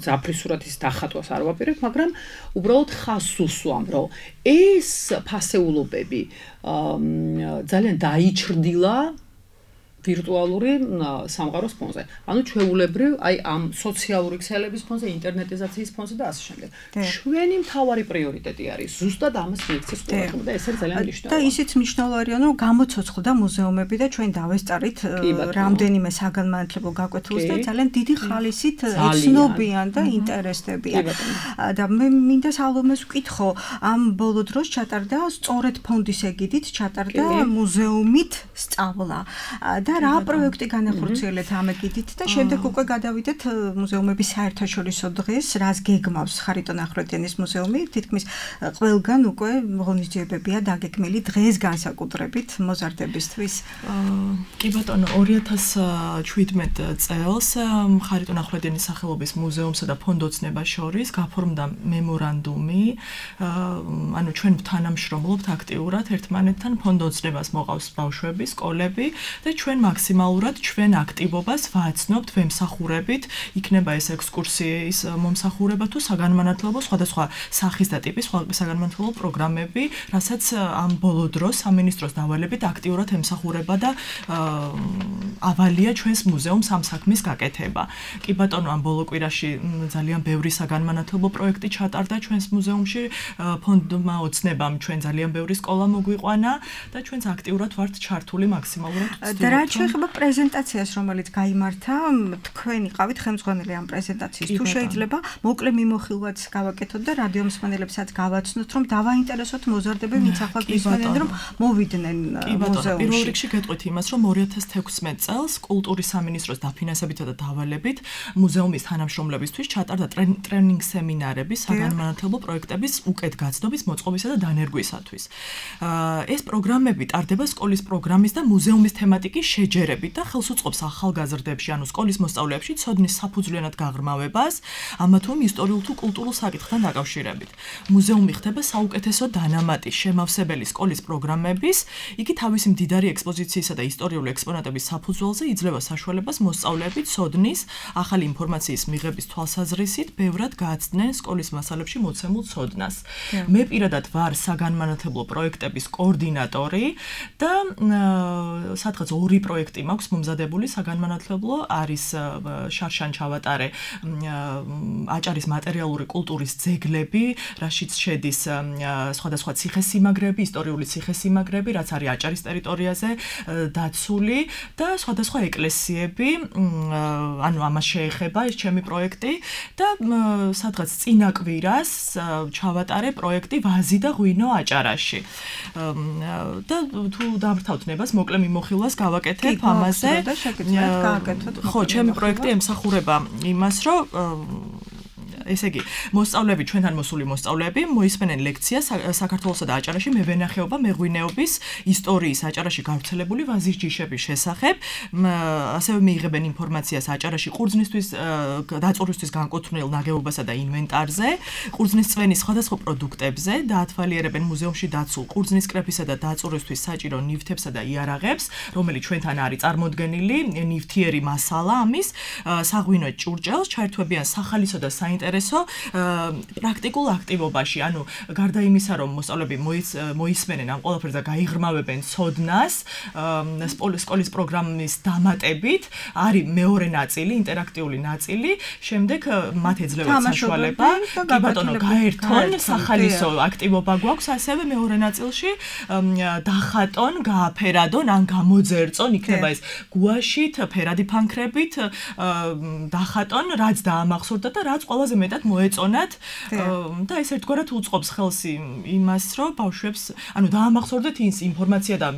ძაფრისურად ის დახატვას არ ვაპირებ, მაგრამ უბრალოდ ხაზს უსვამ, რომ ეს ფასეულობები ძალიან დაიჩრდილა ვირტუალური სამყაროს ფონზე. ანუ ჩვეულებრივ, აი ამ სოციალური ქსელების ფონზე, ინტერნეტიზაციის ფონზე და ასე შემდეგ. ჩვენი მთავარი პრიორიტეტი არის ზუსტად ამას მიექცეს ყველაფერმა და ეს არის ძალიან მნიშვნელოვანი. და ისიც მნიშვნელოვანია, რომ გამოცოცხლდა მუზეუმები და ჩვენ დავესწარით რამდენიმე საგანმანათლებლო გაკვეთილს და ძალიან დიდი ხალისით ეცნობიან და ინტერესდებიან. და მე მინდა სალომეს ვკითხო, ამ ბოლო დროს ჩატარდა სწორედ ფონდის ეგიდით ჩატარდა მუზეუმით სწავლა. და რა პროექტი განახორციელეთ ამ ეგიდით და შემდეგ უკვე გადავიდეთ მუზეუმების საერთაშორისო დღეს, რას გეგმავს ხარიტონ ახვლედიანის მუზეუმი, თითქმის ყველგან უკვე ღონისძიებებია დაგეგმილი დღეს განსაკუთრებით მოზარდებისთვის. კი ბატონო, 2017 წელს ხარიტონ ახვლედიანის სახელობის მუზეუმსა და ფონდ ოცნებას შორის გაფორმდა მემორანდუმი, ანუ ჩვენ თანამშრომლობთ აქტიურად ერთმანეთთან, ფონდ ოცნებას მოყავს ბავშვები, სკოლები და ჩვენ მაქსიმალურად ჩვენ აქტივობას ვაცნობთ, ვემსახურებით, იქნება ეს ექსკურსიის მომსახურება თუ საგანმანათლებლო სხვადასხვა სახის და ტიპის საგანმანათლებლო პროგრამები, რასაც ამ ბოლო დროს სამინისტროს დავალებით აქტიურად ემსახურება და ავალია ჩვენს მუზეუმს ამ საქმის გაკეთება. კი ბატონო, ამ ბოლო კვირაში ძალიან ბევრი საგანმანათლებლო პროექტი ჩატარდა ჩვენს მუზეუმში, ფონდმა ოცნებამ ჩვენ ძალიან ბევრი სკოლა მოგვიყვანა და ჩვენც აქტიურად ვართ ჩართული მაქსიმალურად. და რა შეიძლება პრეზენტაციას, რომელიც გაიმართა, თქვენ იყავით ხელმძღვანელი ამ პრეზენტაციის. თუ შეიძლება, მოკლე მიმოხილვაც გავაკეთოთ და რადიო მსმენელებსაც გავაცნოთ, რომ დავაინტერესოთ მოზარდები, ვინც ახლა გვისმენენ, რომ მოვიდნენ მუზეუმში. პირველ რიგში გეტყვით იმას, რომ 2016 წელს კულტურის სამინისტროს დაფინანსებითა და დავალებით მუზეუმის თანამშრომლებისთვის ჩატარდა ტრენინგ სემინარები საგანმანათლებლო პროექტების უკეთგაცნობის, მოწყობისა და დანერგვისათვის. ეს პროგრამები ტარდება სკოლის პროგრამის და მუზეუმის თემატიკის შეჯერებით და ხელს უწყობს ახალგაზრდებში, ანუ სკოლის მოსწავლეებში ცოდნის საფუძვლიანად გაღრმავებას, ამა თუ იმ ისტორიულ თუ კულტურულ საკითხთან დაკავშირებით. მუზეუმი ხდება საუკეთესო დანამატის შემავსებელი სკოლის პროგრამების, იგი თავისი მდიდარი ექსპოზიციისა და ისტორიული ექსპონატების საფუძველზე იძლევა საშუალებას მოსწავლეები ცოდნის, ახალი ინფორმაციის მიღების თვალსაზრისით ბევრად გააცდნენ სკოლის მასალებში მოცემულ ცოდნას. მე პირადად ვარ საგანმანათლებლო პროექტების კოორდინატორი და სადღაც 2 პროექტი მაქვს მომზადებული საგანმანათლებლო, არის შარშან ჩავატარე აჭარის მატერიალური კულტურის ძეგლები, რაშიც შედის სხვადასხვა ციხესიმაგრეები, ისტორიული ციხესიმაგრეები, რაც არის აჭარის ტერიტორიაზე დაცული და სხვადასხვა ეკლესიები, ანუ ამას შეეხება ეს ჩემი პროექტი და სადღაც წინა კვირას ჩავატარე პროექტი ვაზი და ღვინო აჭარაში. და თუ დამრთავთ ნებას, მოკლე მიმოხილვას გავაკეთებ ამაზე. ხო, ჩემი პროექტი ემსახურება იმას, რომ ესე იგი, მოსწავლეები, ჩვენთან მოსული მოსწავლეები მოისმენენ ლექციას საქართველოსა და აჭარაში მევენახეობა, მეღვინეობის ისტორიის აჭარაში გავრცელებული ვაზის ჯიშების შესახებ, ასევე მიიღებენ ინფორმაციას აჭარაში ყურძნისთვის დაწურვისთვის განკუთვნილ ნაგებობასა და ინვენტარზე, ყურძნის წვენის სხვადასხვა პროდუქტებზე, დაათვალიერებენ მუზეუმში დაცულ ყურძნის კრეფისა და დაწურვისთვის საჭირო ნივთებსა და იარაღებს, რომელიც ჩვენთან არის წარმოდგენილი, ნივთიერი მასალა ამის, საღვინო ჭურჭელს, ჩაერთვებიან სახალისო და საინტერესო საინტერესო პრაქტიკულ აქტივობაში, ანუ გარდა იმისა, რომ მოსწავლეები მოისმენენ ამ ყველაფერს და გაიღრმავებენ ცოდნას, სკოლის პროგრამის დამატებით არის მეორე ნაწილი, ინტერაქტიული ნაწილი, შემდეგ მათ ეძლევათ საშუალება, კი ბატონო, გაერთონ, სახალისო აქტივობა გვაქვს, ასევე მეორე ნაწილში დახატონ, გააფერადონ, ან გამოძერწონ, იქნება ეს გუაშით, ფერადი ფანქრებით, დახატონ, რაც დაამახსოვრდათ და რაც ყველაზე მეტად მოეწონათ და ეს ერთგვარად უწყობს ხელს იმას, რომ ბავშვებს, ანუ დაამახსოვრდეთ ის ინფორმაცია და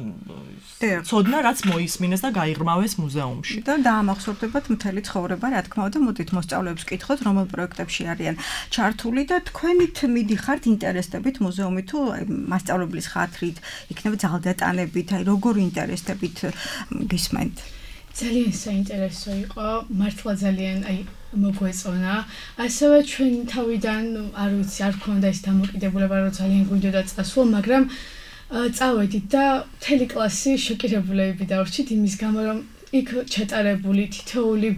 ცოდნა, რაც მოისმინეს და გაიღრმავეს მუზეუმში. და დაამახსოვრდებათ მთელი ცხოვრება, რა თქმა უნდა, მოდით მოსწავლეებს ვკითხოთ, რომელ პროექტებში არიან ჩართული და თქვენით მიდიხართ ინტერესდებით მუზეუმი თუ მასწავლებლის ხათრით, იქნება ძალდატანებით, აი როგორ ინტერესდებით გისმენთ? ძალიან საინტერესო იყო, მართლა ძალიან მოგვეწონა. ასევე ჩვენ თავიდან არ ვიცი, არ გქონდა ეს დამოკიდებულება, რომ ძალიან გვინდოდა წასვლა, მაგრამ წავედით და მთელი კლასი შოკირებულები დავრჩით იმის გამო, რომ იქ ჩატარებული თითოეული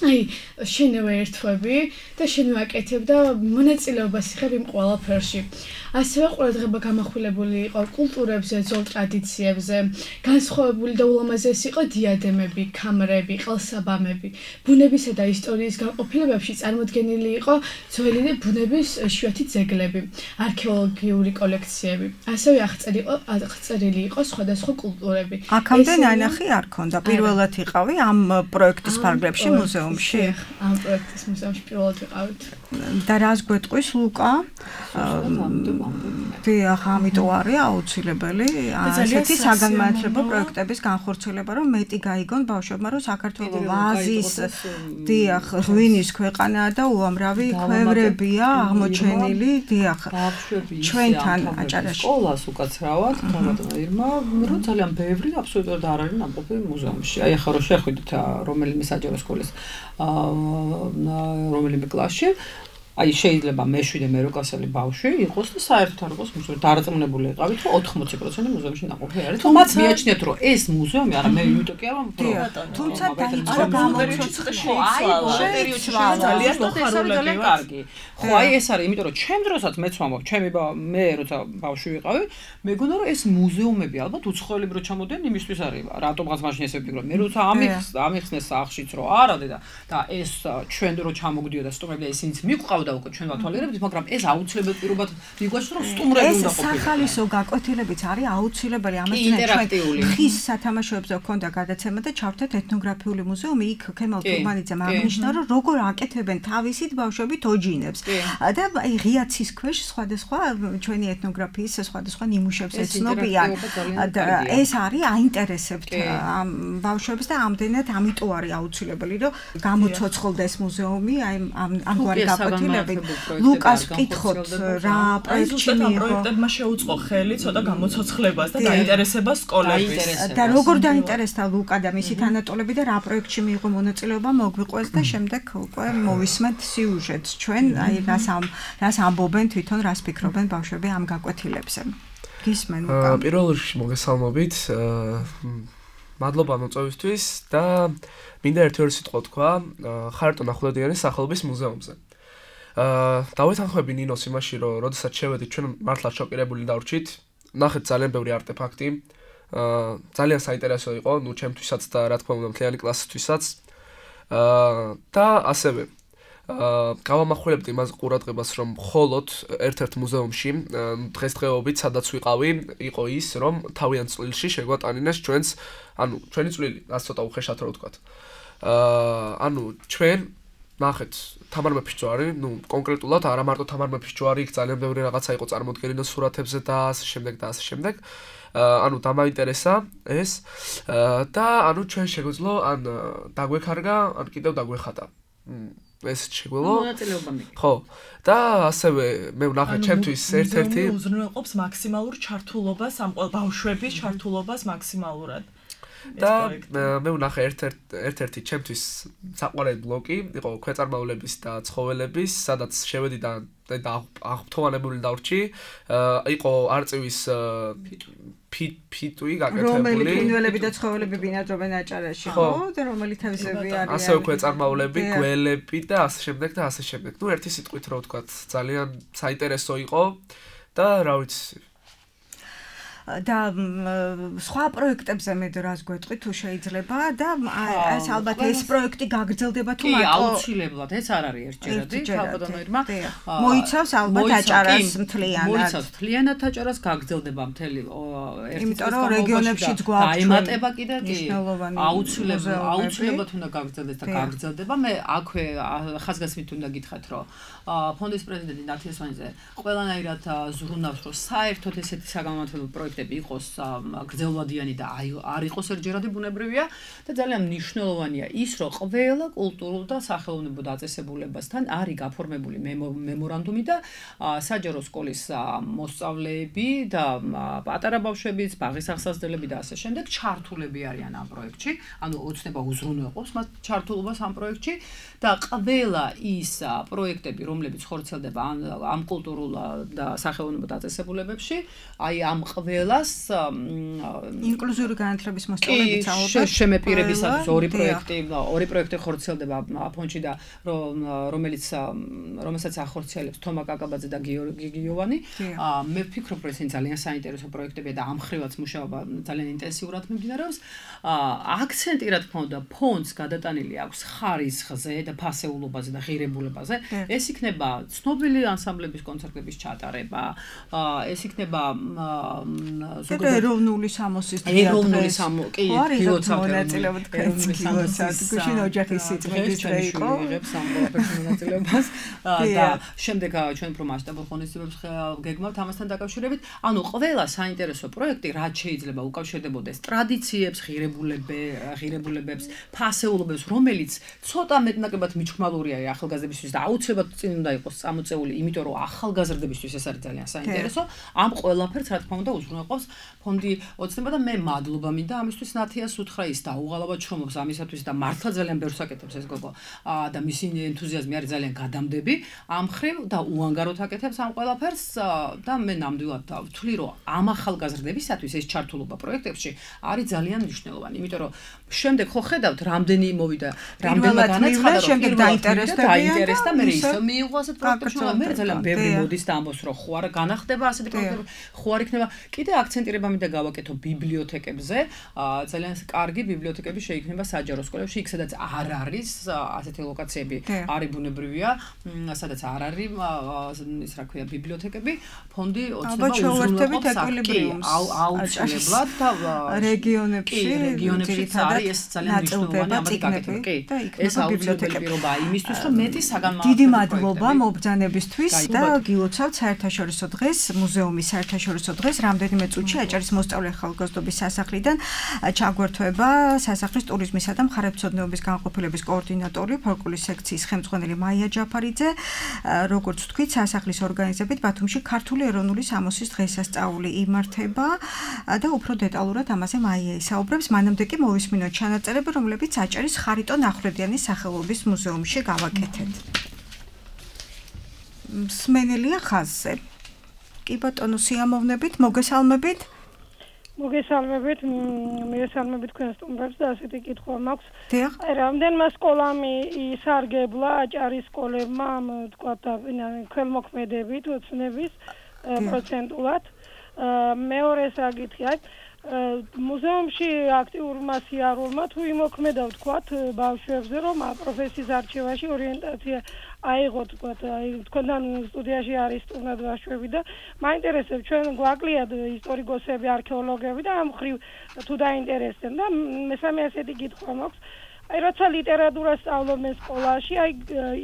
შენევა ერთვები და შენევა კეთებ და მონაწილეობას იღებ იმ ყველაფერში. ასევე ყურადღება გამახვილებული იყო კულტურებზე, ძველ ტრადიციებზე, განსხვავებული და ულამაზესი იყო დიადემები, ქამრები, ყელსაბამები. ბუნებისა და ისტორიის განყოფილებებში წარმოდგენილი იყო ძველი ბუნების იშვიათი ძეგლები, არქეოლოგიური კოლექციები. ასევე აღწერილი იყო სხვადასხვა კულტურები. აქამდე ნანახი არ ქონდა, პირველად იყავი ამ პროექტის ფარგლებში მუზეუმში. ამ პროექტის მუზეუმში პირველად ვიყავით. და რას გვეტყვის ლუკა? დიახ, ამიტომ არის აუცილებელი ასეთი საგანმანათლებლო პროექტების განხორციელება, რომ მეტი გაიგონ ბავშვებმა, რომ საქართველოს ვაზის, დიახ, ღვინის ქვეყანაა და უამრავი ქვევრებია აღმოჩენილი, დიახ, ჩვენთან აჭარაში. სკოლას უკაცრავად, ბატონო ირმა, რომ ძალიან ბევრი აბსოლუტურად არ არის ნამყოფი მუზეუმში. აი ახლა რომ შეხვიდეთ რომელიმე საჯარო სკოლის რომელიმე კლასში, აი შეიძლება მე-7 მე 8 კლასელი ბავშვი იყოს და საერთოდ არ იყოს მუზეუმში დარწმუნებული იყავით, რომ 80% მუზეუმში ნაყოფი არის. თუ მათ მიაჩნიათ, რომ ეს მუზეუმი არა, მე იმიტომ კი არა, თუმცა დაიწყო გამოცოცხლე პერიოდში ძალიან მოხარულები კარგი. ხო, აი ეს არის, იმიტომ რომ ჩემ დროსაც მეც ვამბობ, მე როცა ბავშვი ვიყავი, მეგონა რომ ეს მუზეუმები ალბათ უცხოელები რო ჩამოდიან იმისთვის არის, რატომღაც მაშინ ესე ვფიქრობ. მე როცა ამიხსნეს სახშიც რომ არა და ეს ჩვენ რო ჩამოგდიოდა სტუმრები და ისინიც მიყვავდა უკვე ჩვენ ვათვალიერებთ, მაგრამ ეს აუცილებლად პირობად მიგვაჩნდა რომ სტუმრები უნდა ყოფილიყო. ეს სახალისო გაკეთებიც არის აუცილებელი, ამასთან ჩვენ ხის სათამაშოებზე გქონდა გადაცემა და ჩავთეთ ეთნოგრაფიული მუზეუმი, იქ ქემალ თურმანიძემ აღნიშნა, რომ როგორ აკეთებენ თავისით ბავშვები თოჯინებს. და აი ღია ცის ქვეშ სხვადასხვა ჩვენი ეთნოგრაფიის სხვადასხვა ნიმუშებს ეცნობიან. ეს არის აინტერესებთ ამ ბავშვებს და ამდენად ამიტომ არის აუცილებელი, რომ გამოცოცხლდეს მუზეუმი აი ამგვარი გაკვეთილებით. ლუკას ვკითხოთ რა პროექტში მიიღო. პროექტებმა შეუწყო ხელი ცოტა გამოცოცხლებას და დაინტერესებას სკოლების. და როგორ დაინტერესდა ლუკა და მისი თანატოლები და რა პროექტში მიიღო მონაწილეობა მოგვიყვეს და შემდეგ უკვე მოვისმენთ სიუჟეტს ჩვენ აი რას ამბობენ თვითონ, რას ფიქრობენ ბავშვები ამ გაკვეთილებზე. გისმენ ლუკა. პირველ რიგში მოგესალმებით. მადლობა მოწვევისთვის და მინდა ერთი-ორი სიტყვა თქვა ხარტონ ახვლედიანის სახელობის მუზეუმზე. დავეთანხმები ნინოს იმაში, რომ როდესაც შევედით ჩვენ მართლა შოკირებული დავრჩით. ნახეთ ძალიან ბევრი არტეფაქტი. ძალიან საინტერესო იყო, ნუ ჩემთვისაც და რა თქმა უნდა მთლიანი კლასისთვისაც. და ასევე გავამახვილებთ იმას ყურადღებას, რომ მხოლოდ ერთ-ერთ მუზეუმში დღესდღეობით სადაც ვიყავი, იყო ის, რომ თავიანთ წვლილში შეგვატანინეს ჩვენი წვლილი, რაც ცოტა უხეშად რო ვთქვათ. ანუ ჩვენ ნახეთ თამარ მეფისჯვარი, კონკრეტულად არა მარტო თამარ მეფისჯვარი, იქ ძალიან ბევრი რაღაცა იყო წარმოდგენილი სურათებზე და ასე შემდეგ და ასე შემდეგ. ანუ დამაინტერესა ეს და ანუ ჩვენ შეგვეძლო ან დაგვექარგა, ან კიდევ დაგვეხატა. ეს შეგვეძლო. ხო. და ასევე მე ვნახე ჩემთვის ერთ-ერთი უზრუნველყოფს მაქსიმალურ ჩართულობას ამ ბავშვების ჩართულობას მაქსიმალურად. და მე ვნახე ერთ-ერთი ჩემთვის საყვარელი ბლოკი იყო ქვეწარმავლების და ცხოველების, სადაც შევედი და აღფრთოვანებული დავრჩი. იყო არწივის ფიტვი გაკეთებული. რომელი ფრინველები და ცხოველები ბინადრობენ აჭარაში, ხო? და რომელი თავისებები არიან. ასევე ქვეწარმავლები, გველები და ასე შემდეგ და ასე შემდეგ. ნუ ერთი სიტყვით რო ვთქვათ, ძალიან საინტერესო იყო და რა ვიცი და სხვა პროექტებზე მე დრას გვეტყვი თუ შეიძლება და ეს ალბათ ეს პროექტი გაგრძელდება თუ მარტო აუცილებლად ეს არ არის ერთჯერადი თავდადანოირმა მოიცავს ალბათ აჭარას მთლიანად მოიცავს მთლიანად აჭარას გაგრძელდება მთელი იმიტომ რომ რეგიონებშიც გვაქვს დაემატება კიდე კი აუცილებლად უნდა გაგრძელდეს და გაგრძელდება მე აქვე ხაზგასმით უნდა გითხრათ რომ ფონდის პრეზიდენტი ნათიასვანიძე ყველანაირად ზრუნავს რომ საერთოდ ესეთი საგამომართლებლო პროექტები იყოს გრძელვადიანი და არ იყოს ერთჯერადი ბუნებრივია და ძალიან მნიშვნელოვანია ის რომ ყველა კულტურულ და სახელოვნებო დაწესებულებასთან არის გაფორმებული მემორანდუმი და საჯარო სკოლის მოსწავლეები და პატარა ბავშვებიც, ბაღის ახსასდელები და ასე შემდეგ ჩართულები არიან ამ პროექტში, ანუ ოცნება უზრუნველყოფს მათ ჩართულობას ამ პროექტში და ყველა ის პროექტები რომლებიც ხორციელდება ამ კულტურულ და სახელოვნებო დაწესებულებებში, აი ამ ყველას ინკლუზიური განათლების მოსწავლეებიც ალბათ შემეპირებისათვის ორი პროექტი ხორციელდება ფონდში და რომელსაც ახორციელებს თომა კაკაბაძე და გიორგი გიოვანი. მე ვფიქრობ, რომ ეს ძალიან საინტერესო პროექტებია და ამ ხრივაც მუშაობა ძალიან ინტენსიურად მიმდინარეობს. აქცენტი რა თქმა უნდა ფონდს გადატანილი აქვს ხარისხზე და ფასეულობაზე და ღირებულებაზე. ეს იქნება ცნობილი ანსამბლების კონცერტების ჩატარება, ეს იქნება ეროვნული სამოსის ეროვნული კი მონაწილეობა გუშინ ოჯახის სიწმინდის დღე იყო მონაწილეობას და შემდეგ ჩვენ უფრო მასშტაბურ ღონისძიებებს გეგმავთ ამასთან დაკავშირებით. ანუ ყველა საინტერესო პროექტი რაც შეიძლება უკავშირდებოდეს ტრადიციებს, ღირებულებებს, ფასეულობებს, რომელიც ცოტა მეტნაკლებად მიჩქმალურია ახალგაზრდებისთვის და აუცილებლად წინ უნდა იყოს წამოწეული, იმიტომ რომ ახალგაზრდებისთვის ეს არის ძალიან საინტერესო. ამ ყველაფერს რა თქმა უნდა უზრუნველყოფს ფონდი ოცნება და მე მადლობა მინდა ამისთვის ნათიას უთხრა ის დაუღალავად შრომობს ამისათვის და მართლა ძალიან ბევრს აკეთებს ეს გოგო და მისი ენთუზიაზმი არის ძალიან გადამდები ამ ხრივ და უანგაროდ აკეთებს ამ ყველაფერს და მე ნამდვილად ვთვლი რომ ამ ახალგაზრდებისათვის ეს ჩართულობა პროექტებში არის ძალიან მნიშვნელოვანი, იმიტომ რომ შემდეგ ხო ხედავთ რამდენი მოვიდა, რამდენმა განაცხადა რომ შემდეგ დაინტერესდა მე ისე მიიღო ასეთ პროექტებში, მე ძალიან ბევრი მოდის და ამბობს რომ ხო არა განახდება ასეთი პროექტები, ხო არ იქნება. კიდე აქცენტირება მინდა გავაკეთო ბიბლიოთეკებზე. ძალიან კარგი ბიბლიოთეკები შეიქმნება საჯარო სკოლებში, იქ სადაც არ არის ასეთი ლოკაციები, არის ბუნებრივია, სადაც არ არის ის რა ქვია ბიბლიოთეკები, ფონდი ოცნება უზრუნველყოფს აუცილებლად და რეგიონებში არის ეს ძალიან მნიშვნელოვანი ამბავი გაკეთება. კი, ეს ბიბლიოთეკებია იმისთვის, რომ მეტი საგანმანათლებლო დიდი მადლობა მობრძანებისთვის და გილოცავთ საერთაშორისო დღეს, მუზეუმის საერთაშორისო დღეს რამდენიმე წუთში აჭარის მოსწავლე ახალგაზრდობის სასახლიდან ჩაგვერთვება სასახლის ტურიზმისა და მხარეთმცოდნეობის განყოფილების კოორდინატორი, ფოლკლორის სექციის ხელმძღვანელი მაია ჯაფარიძე. როგორც ვთქვით, სასახლის ორგანიზებით ბათუმში ქართული ეროვნული სამოსის დღესასწაული იმართება და უფრო დეტალურად ამაზე მაია ისაუბრებს. მანამდე კი მოვისმინოთ ჩანაწერები, რომლებიც აჭარის ხარიტონ ახვლედიანის სახელობის მუზეუმში გავაკეთეთ. მსმენელია ხაზზე. კი ბატონო, სიამოვნებით, მოგესალმებით. მოგესალმებით თქვენ სტუმრებს და ასეთი კითხვა მაქვს. აი რამდენმა სკოლამ ისარგებლა აჭარის სკოლებმა, თქვათ ქველმოქმედებით, ოცნების პროცენტულად. მეორე საკითხი აი მუზეუმში აქტიურმა სიარულმა თუ იმოქმედა ვთქვათ ბავშვებზე რომ პროფესიის არჩევაში ორიენტაცია აიღოთ ვთქვათ აი თქვენთან სტუდიაში არის სტუმრად ბავშვები და მაინტერესებს ჩვენ გვაკლიათ ისტორიკოსები, არქეოლოგები და ამ ხრივ თუ დაინტერესდნენ და მესამე ასეთი კითხვა მაქვს აი როცა ლიტერატურას სწავლობენ სკოლაში, აი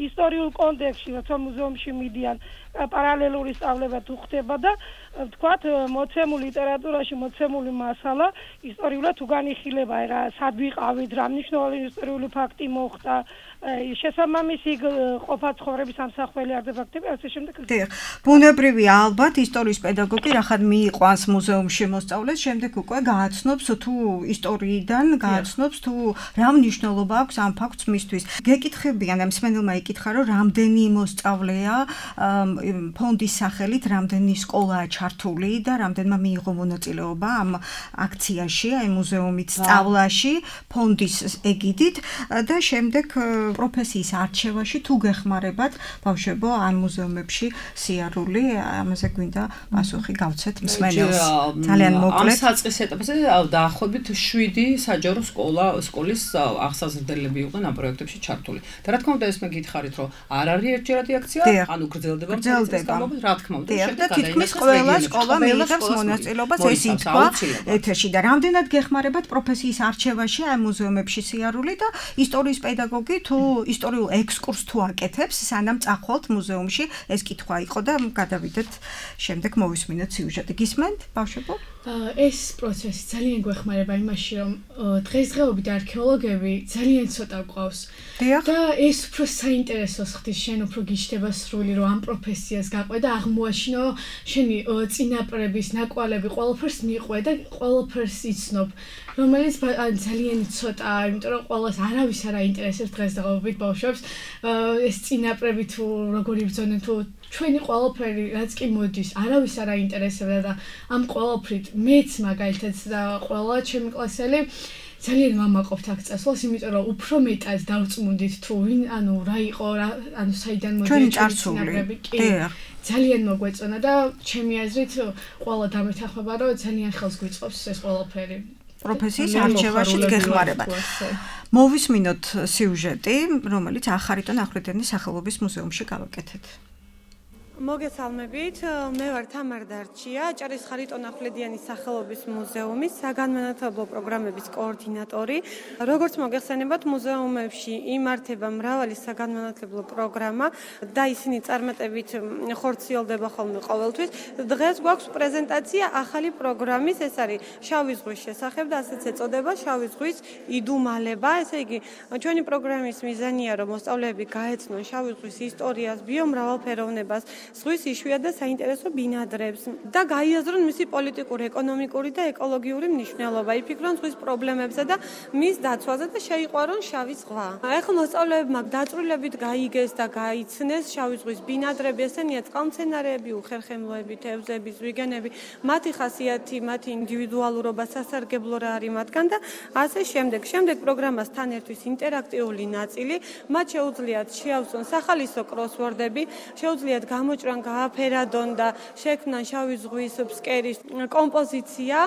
ისტორიულ კონტექსტში, როცა მუზეუმში მიდიან, პარალელური სწავლება თუ ხდება და ვთქვათ, მოცემულ ლიტერატურაში მოცემული მასალა ისტორიულად თუ განიხილება, რა სად ვიყავით, რა მნიშვნელოვანი ისტორიული ფაქტი მოხდა, შესაბამისი ყოფა ცხოვრების ამსახველი არტეფაქტები, ასე შემდეგ. დიახ, ბუნებრივია ალბათ ისტორიის პედაგოგი რახან მიიყვანს მუზეუმში მოსწავლეს, შემდეგ უკვე გააცნობს თუ ისტორიიდან გააცნობს თუ რა მნიშვნელობა აქვს ამ ფაქტს მისთვის. გეკითხებიან ამ მსმენელმა იკითხა, რომ რამდენი მოსწავლეა ფონდის სახელით, რამდენი სკოლაა ჩართული და რამდენმა მიიღო მონაწილეობა ამ აქციაში, აი მუზეუმით სწავლაში, ფონდის ეგიდით და შემდეგ პროფესიის არჩევაში თუ გეხმარებათ ბავშვებო ამ მუზეუმებში სიარული, ამაზე გვინდა პასუხი გავცეთ მსმენელს. ძალიან მოკლედ. ამ საწყის ეტაპზე დაახლოებით 7 საჯარო სკოლის აღსაზრდელები იყვნენ ამ პროექტებში ჩართული. და რა თქმა უნდა ეს მე გითხარით, რომ არ არის ერთჯერადი აქცია, ანუ გრძელდება პროცესი, რა თქმა უნდა, და თითქმის ყველა სკოლა მიიღებს მონაწილეობას, ეს ითქვა ეთერში და რამდენად გეხმარებათ პროფესიის არჩევაში ამ მუზეუმებში სიარული და ისტორიის პედაგოგი თუ ისტორიულ ექსკურსს თუ აკეთებს, სანამ წახვალთ მუზეუმში, ეს კითხვა იყო და გადავიდეთ შემდეგ მოვისმინოთ სიუჟეტი. გისმენთ, ბავშვებო? ეს პროცესი ძალიან გვეხმარება იმაში, რომ დღესდღეობით არქეოლოგები ძალიან ცოტა გვყავს. და ეს უფრო საინტერესოს ხდის, შენ უფრო გიჩნდება სრული, რომ ამ პროფესიას გაყვე და აღმოაჩინო შენი წინაპრების ნაკვალები ყველაფერს მიყვე და ყველაფერს იცნობ. რომელიც ძალიან ცოტაა, იმიტომ რომ ყველას არავის არ აინტერესებს დღესდღეობით ბავშვებს ეს წინაპრები თუ როგორი ბრძოდნენ თუ ჩვენი ყველაფერი რაც კი მოდის, არავის არ აინტერესებდა და ამ ყველაფრით მეც მაგალითად და ყველა ჩემი კლასელი ძალიან მამაყობთ აქ წასვლას, იმიტომ რომ უფრო მეტად დავწმუნდით თუ ვინ, ანუ რა იყო, ანუ საიდან მოდიან წინაპრები. კი. ძალიან მოგვეწონა და ჩემი აზრით ყველა დამეთანხმება, რომ ძალიან ხელს გვიწყობს ეს ყველაფერი. პროფესიის არჩევაშიც გეხმარებათ. მოვისმინოთ სიუჟეტი, რომელიც ახარიტონ ახვლედიანის სახელობის მუზეუმში გავაკეთეთ. მოგესალმებით, მე ვარ თამარ დარჩია, აჭარის ხარიტონ ახვლედიანის სახელობის მუზეუმის საგანმანათლებლო პროგრამების კოორდინატორი. როგორც მოგეხსენებათ, მუზეუმებში იმართება მრავალი საგანმანათლებლო პროგრამა და ისინი წარმატებით ხორციელდება ხოლმე ყოველთვის. დღეს გვაქვს პრეზენტაცია ახალი პროგრამის, ეს არის შავი ზღვის შესახებ და ასეც ეწოდება შავი ზღვის იდუმალება. ესე იგი, ჩვენი პროგრამის მიზანია, რომ მოსწავლეები გაეცნონ შავი ზღვის ისტორიას, ბიომრავალფეროვნებას, ზღვის იშვიათ და საინტერესო ბინადრებს და გაიაზრონ მისი პოლიტიკური, ეკონომიკური და ეკოლოგიური მნიშვნელობა, იფიქრონ ზღვის პრობლემებზე და მის დაცვაზე და შეიყვარონ შავი ზღვა. ახლა მოსწავლეებმა დაწვრილებით გაიგეს და გაიცნეს შავი ზღვის ბინადრები, ესენია წყალმცენარეები, უხერხემლოები, თევზები, ზვიგენები, მათი ხასიათი, მათი ინდივიდუალურობა, სასარგებლო რა არის მათგან და ასე შემდეგ. შემდეგ პროგრამას თან ერთვის ინტერაქტიული ნაწილი, მათ შეუძლიათ შეავსონ სახალისო კროსვორდები, შეუძლიათ გამოჭრან, გააფერადონ და შექმნან შავი ზღვის ფსკერის კომპოზიცია.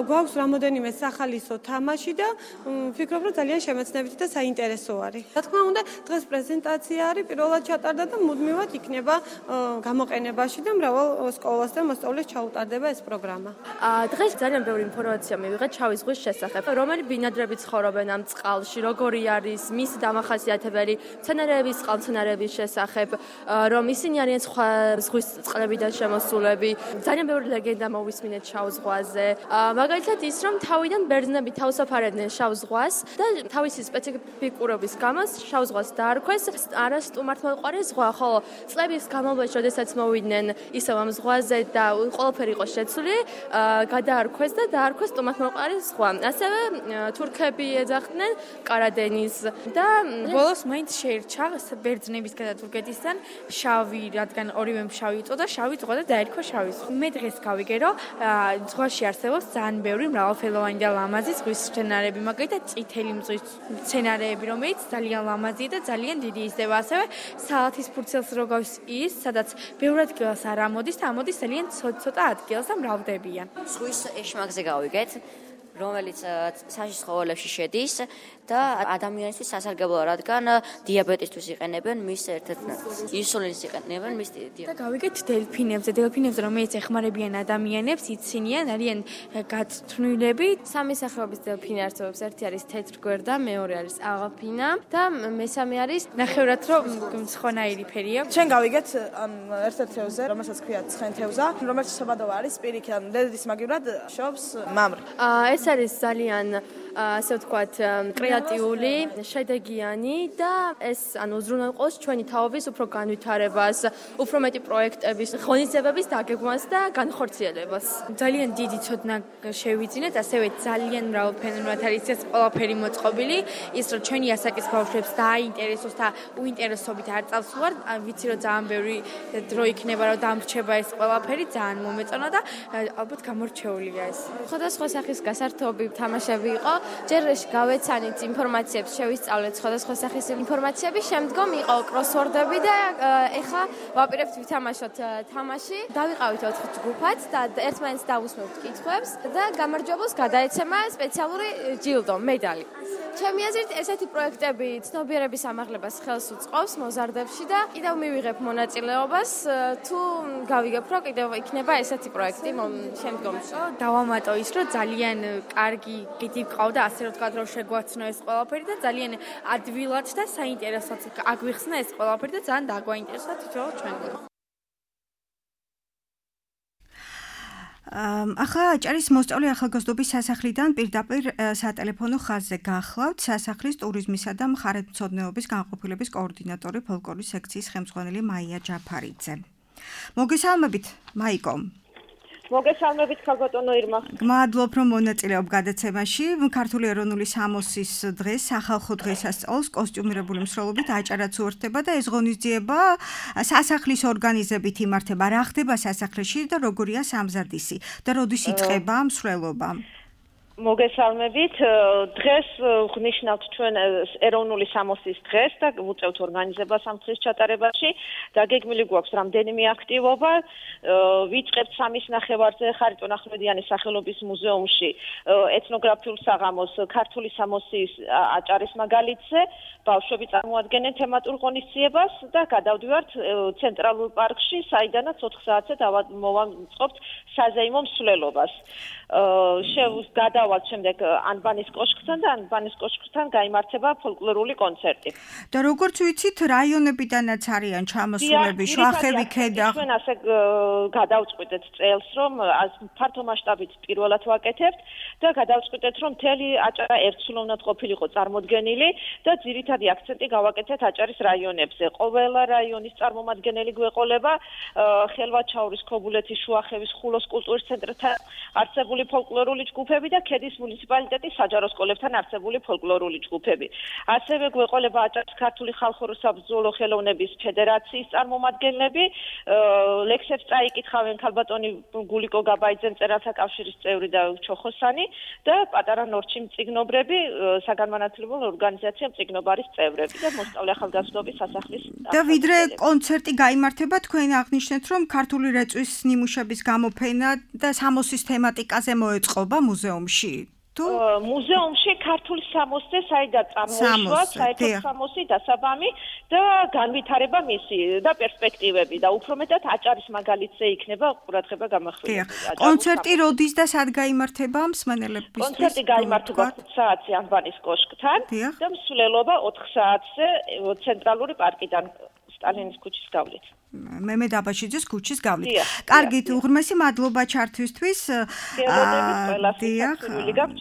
გვაქვს რამოდენიმე სახალისო თამაში და ვფიქრობ, რომ ძალიან შემეცნებითი და საინტერესო არის. რა თქმა უნდა, დღეს პრეზენტაცია არის, პირველად ჩატარდა და მუდმივად იქნება გამოყენებაში და მრავალ სკოლას და მოსწავლეს ჩაუტარდება ეს პროგრამა. დღეს ძალიან ბევრი ინფორმაცია მივიღეთ შავი ზღვის შესახებ, რომელი ბინადრები ცხოვრობენ ამ წყალში, როგორი არის მისი დამახასიათებელი მცენარეების, წყალმცენარეების შესახებ, რომ ისინი არიან სხვა ზღვის წყლებიდან შემოსულები. ძალიან ბევრი ლეგენდა მოვისმინეთ შავ ზღვაზე. მაგალითად ის, რომ თავიდან ბერძნები თავსაფარებდნენ შავ ზღვას და თავისი სპეციფიკურობის გამო შავ ზღვას დაარქვეს არა სტუმართმოყვარე ზღვა, ხოლო წლების განმავლობაში, როდესაც მოვიდნენ ისევ ამ ზღვაზე და ყველაფერი იყო შეცვლილი, გადაარქვეს და დაარქვეს სტუმართმოყვარე ზღვა. ასევე თურქები ეძახდნენ კარადენის და ბოლოს მაინც შეირჩა ბერძნების და თურქეთისგან შავი, რადგან ორივემ შავი იწოდა, შავი ზღვა და დაერქვა შავი ზღვა. მე დღეს გავიგე, რომ ზღვაში არსებობს ძალიან ბევრი მრავალფეროვანი და ლამაზი ზღვის მცენარეები, მაგალითად წითელი ზღვის მცენარეები, რომელიც ძალიან ლამაზია და ძალიან დიდი იზრდება. ასევე სალათის ფურცელს როგორც ის, სადაც ბევრ ადგილას არ ამოდის და ამოდის ძალიან ცოტა ადგილას და მრავლდებიან. ზღვის ეშმაკზე გავიგეთ, რომელიც საშიშ ცხოველებში შედის და ადამიანისთვის სასარგებლოა, რადგან დიაბეტისთვის იყენებენ მის ერთ-ერთ ინსულინს იყენებენ მის და გავიგეთ დელფინებზე, რომელიც ეხმარებიან ადამიანებს, იცინიან, არიან გაწვრთნილები. სამი სახეობის დელფინი არსებობს, ერთი არის თეთრგვერდა, მეორე არის აღაფინა და მესამე არის ნახევრად რომ მცხონაირი ფერი აქვს. ჩვენ გავიგეთ ერთ-ერთ თევზზე, რომელსაც ქვია ცხენთევზა, რომელიც საბადოა არის პირიქით, დედის მაგივრად შობს მამრი. ეს არის ძალიან ასე ვთქვათ, კრეატიული, შედეგიანი და ეს უზრუნველყოფს ჩვენი თაობის უფრო განვითარებას, უფრო მეტი პროექტების, ღონისძიებების დაგეგმვას და განხორციელებას. ძალიან დიდი ცოდნა შევიძინეთ, ასევე ძალიან მრავალფეროვნად არის ეს ყველაფერი მოწყობილი, ის რომ ჩვენი ასაკის ბავშვებს დააინტერესოს და უინტერესობით არ წავს ვარ, ვიცი რომ ძალიან ბევრი დრო იქნება რომ დამრჩება ეს ყველაფერი, ძალიან მომეწონა და ალბათ გამორჩეულია ეს. სხვადასხვა სახის გასართობი თამაშები იყო. ჯერ გავეცანით ინფორმაციებს, შევისწავლეთ სხვადასხვა სახის ინფორმაციები, შემდგომ იყო კროსვორდები და ეხა ვაპირებთ ვითამაშოთ თამაში. დავიყავით 4 ჯგუფად და ერთმანეთს დავუსმევთ კითხვებს და გამარჯვებულს გადაეცემა სპეციალური ჯილდო, медали. ჩემი აზრით, ესეთი პროექტები ცნობიერების ამაღლებას ხელს უწყობს მოზარდებში და კიდევ მივიღებ მონაწილეობას, თუ გავიგებ, რომ კიდევ იქნება ესეთი პროექტი შემდგომში. დავამატო ის, რომ ძალიან კარგი გიდი გყავდა, ასე რომ თქვა, რომ შეგვაცნო ეს ყველაფერი და ძალიან ადვილად და საინტერესოდ აგვიხსნა ეს ყველაფერი და ძალიან დაგვაინტერესა თვითონ ჩვენ. ახლა აჭარის მოსწავლე ახალგაზრდობის სასახლიდან პირდაპირ სატელეფონო ხაზზე გახლავთ სასახლის ტურიზმისა და მხარეთმცოდნეობის განყოფილების კოორდინატორი ფოლკლორის სექციის ხელმძღვანელი მაია ჯაფარიძე. მოგესალმებით, მაიკო. მოგესალმებით ქალბატონო ირმა. გმადლობ რომ მონაწილეობ გადაცემაში. ქართული ეროვნული სამოსის დღეს, სახალხო დღესასწაულს კოსტიუმირებული მსვლელობით აჭარაც უერთდება და ეს ღონისძიება სასახლის ორგანიზებით იმართება. რა ხდება სასახლეში და როგორია სამზადისი და როდის იწყება მსვლელობა? მოგესალმებით. დღეს ვღნიშნავთ ჩვენ ეროვნული სამოსის დღეს და ვუწევთ ორგანიზებას ამ დღის ჩატარებაში. დაგეგმილი გვაქვს რამდენიმე აქტივობა. ვიწყებთ 3:30-ზე ხარიტონ ახვლედიანის სახელობის მუზეუმში ეთნოგრაფიულ საღამოს ქართული სამოსის აჭარის მაგალითზე. ბავშვები წარმოადგენენ თემატურ ღონისძიებას და გადავდივართ ცენტრალურ პარკში, საიდანაც 4 საათზე მოვამწყობთ საზეიმო მსვლელობას. გადავალთ შემდეგ ანბანის კოშკთან და ანბანის კოშკთან გაიმართება ფოლკლორული კონცერტი. და როგორც ვიცით, რაიონებიდანაც არიან ჩამოსულები, შვახები, ქედა. ჩვენ ასე გადავწყვიტეთ წელს, რომ ფართო მასშტაბით პირველად ვაკეთებთ და გადავწყვიტეთ, რომ მთელი აჭარა ერთსულოვნად ყოფილიყო წარმოდგენილი და ძირითადი აქცენტი გავაკეთეთ აჭარის რაიონებზე. ყველა რაიონის წარმომადგენელი გვეყოლება, ხელვაჩაურის, ქობულეთის, შუახევის, ხულოს კულტურის ცენტრთან არსებული ფოლკლორული ჯგუფები და ქედის მუნიციპალიტეტის საჯარო სკოლებთან არსებული ფოლკლორული ჯგუფები. ასევე გვეყოლება აჭარის ქართული ხალხური საბრძოლო ხელოვნების ფედერაციის წარმომადგენლები, ლექსებს წაიკითხავენ ქალბატონი გულიკო გაბაიძე, მწერალთა კავშირის წევრი და ჩოხოსანი და პატარა ნორჩი მწიგნობრები, საგანმანათლებლო ორგანიზაცია მწიგნობარის წევრები და მოსწავლე ახალგაზრდობის სასახლის. და ვიდრე კონცერტი გაიმართება, თქვენ აღნიშნეთ, რომ ქართული რეწვის ნიმუშების გამოფენა და სამოსის თემატიკაზე მოეწყობა მუზეუმში. მუზეუმში ქართული სამოსზე საიდან წარმოიშვა საერთოდ სამოსი დასაბამი და განვითარება მისი და პერსპექტივები და უფრო მეტად აჭარის მაგალითზე იქნება ყურადღება გამახვილებული. კონცერტი როდის და სად გაიმართება მსმენელებისთვის? კონცერტი გაიმართება 5 საათზე ანბანის კოშკთან და მსვლელობა 4 საათზე ცენტრალური პარკიდან სტალინის ქუჩის გავლით. მემე დაბაშიძის ქუჩის გავლით. კარგით, უღრმესი მადლობა ჩართვისთვის.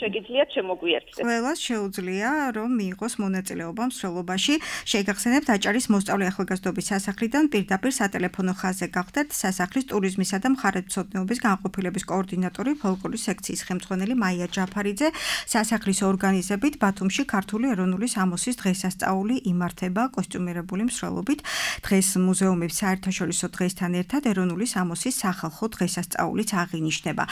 შეგიძლიათ შემოგვიერთდეთ. ყველას შეუძლია, რომ მიიღოს მონაწილეობა მსვლელობაში. შეგახსენებთ აჭარის მოსწავლე ახალგაზრდობის სასახლიდან პირდაპირ სატელეფონო ხაზზე გახდეთ სასახლის ტურიზმისა და მხარეთმცოდნეობის განყოფილების კოორდინატორი ფოლკლორის სექციის ხელმძღვანელი მაია ჯაფარიძე. სასახლის ორგანიზებით ბათუმში ქართული ეროვნული სამოსის დღესასწაული იმართება კოსტიუმირებული მსვლელობით. დღეს მუზეუმის საერთაშორისო დღესთან ერთად ეროვნული სამოსის სახალხო დღესასწაულიც აღინიშნება.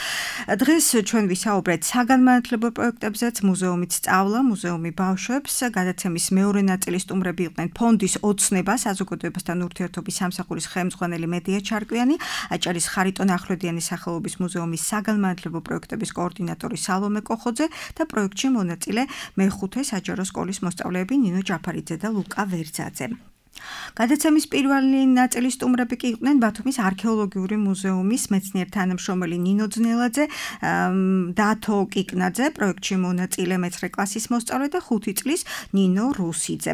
დღეს ჩვენ ვისაუბრეთ საგანმანათლებლო პროექტებზეც, მუზეუმით სწავლა, მუზეუმი ბავშვებს, გადაცემის მეორე ნაწილის სტუმრები იყვნენ ფონდის ოცნება, საზოგადოებასთან ურთიერთობის სამსახურის ხელმძღვანელი მედია ჩარკვიანი, აჭარის ხარიტონ ახვლედიანის სახელობის მუზეუმის საგანმანათლებლო პროექტების კოორდინატორი სალომე კოხოძე და პროექტში მონაწილე მეხუთე საჯარო სკოლის მოსწავლეები ნინო ჯაფარიძე და ლუკა ვერძაძე. გადაცემის პირველი ნაწილის სტუმრები კი იყვნენ ბათუმის არქეოლოგიური მუზეუმის მეცნიერ თანამშრომელი ნინო ძნელაძე, დათო კიკნაძე, პროექტში მონაწილე მე-9 კლასის მოსწავლე და 5 წლის ნინო რუსიძე.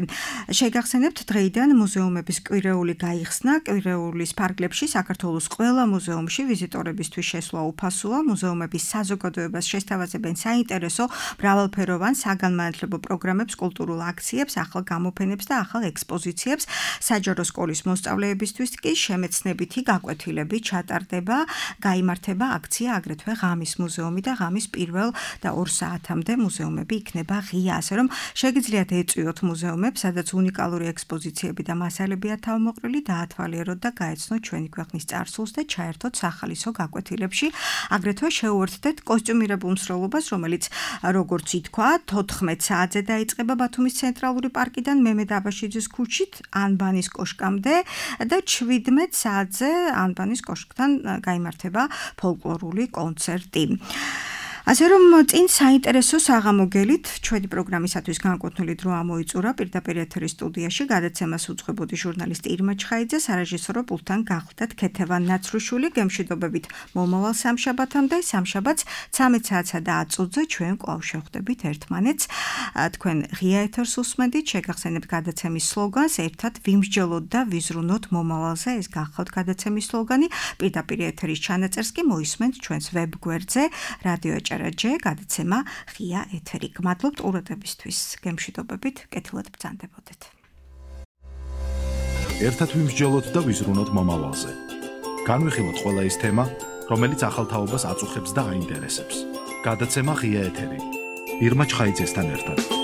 შეგახსენებთ, დღეიდან მუზეუმების კვირეული გაიხსნა, კვირეულის ფარგლებში საქართველოს ყველა მუზეუმში ვიზიტორებისთვის შესვლა უფასოა, მუზეუმების საზოგადოებას შესთავაზებენ საინტერესო, მრავალფეროვან საგანმანათლებლო პროგრამებს, კულტურულ აქციებს, ახალ გამოფენებს და ახალ ექსპოზიციებს. საჯარო სკოლის მოსწავლეებისთვის კი შემეცნებითი გაკვეთილები ჩატარდება, გაიმართება აქცია აგრეთვე ღამის მუზეუმი და ღამის 1 და 2 საათამდე მუზეუმები იქნება ღია, ასე რომ შეგიძლიათ ეწვიოთ მუზეუმებს, სადაც უნიკალური ექსპოზიციები და მასალებია თავმოყრილი, დაათვალიეროთ და გაეცნოთ ჩვენი ქვეყნის წარსულს და ჩაერთოთ სახალისო გაკვეთილებში. აგრეთვე შეუერთდეთ კოსტიუმირებულ მსროლობას, რომელიც როგორც ითქვა, 14 საათზე დაიწყება ბათუმის ცენტრალური პარკიდან მემედ აბაშიძის ქუჩით ანბანის კოშკამდე და 17 საათზე ანბანის კოშკთან გაიმართება ფოლკლორული კონცერტი. ასე რომ წინ საინტერესო საღამოგელით ჩვენი პროგრამისათვის განკუთვნილი დრო ამოიწურა პირდაპირ ეთერის სტუდიაში გადაცემას უძღვებოდი ჟურნალისტი ირმა ჩხაიძე, სარეჟისორო პულტთან გახლდათ ქეთევან ნაცრუშვილი, გემშვიდობებით მომავალ სამშაბათამდე, სამშაბათს 13 საათსა და 10 წუთზე ჩვენ კვლავ შევხვდებით ერთმანეთს. თქვენ ღია ეთერს უსმენთ, შეგახსენებთ გადაცემის სლოგანს, ერთად ვიმსჯელოთ და ვიზრუნოთ მომავალზე, ეს გახლავთ გადაცემის სლოგანი. პირდაპირ ეთერის ჩანაწერს კი მოისმენთ ჩვენს ვებგვერდზე რადიო ჭერაჯე, გადაცემა ღია ეთერი. გმადლობთ ყურადღებისთვის. გემშვიდობებით, კეთილად ბრძანდებოდეთ. ერთად ვიმსჯელოთ და ვიზრუნოთ მომავალზე. განვიხილოთ ყველა ის თემა, რომელიც ახალ თაობას აწუხებს და აინტერესებს. გადაცემა ღია ეთერი. ირმა ჩხაიძესთან ერთად.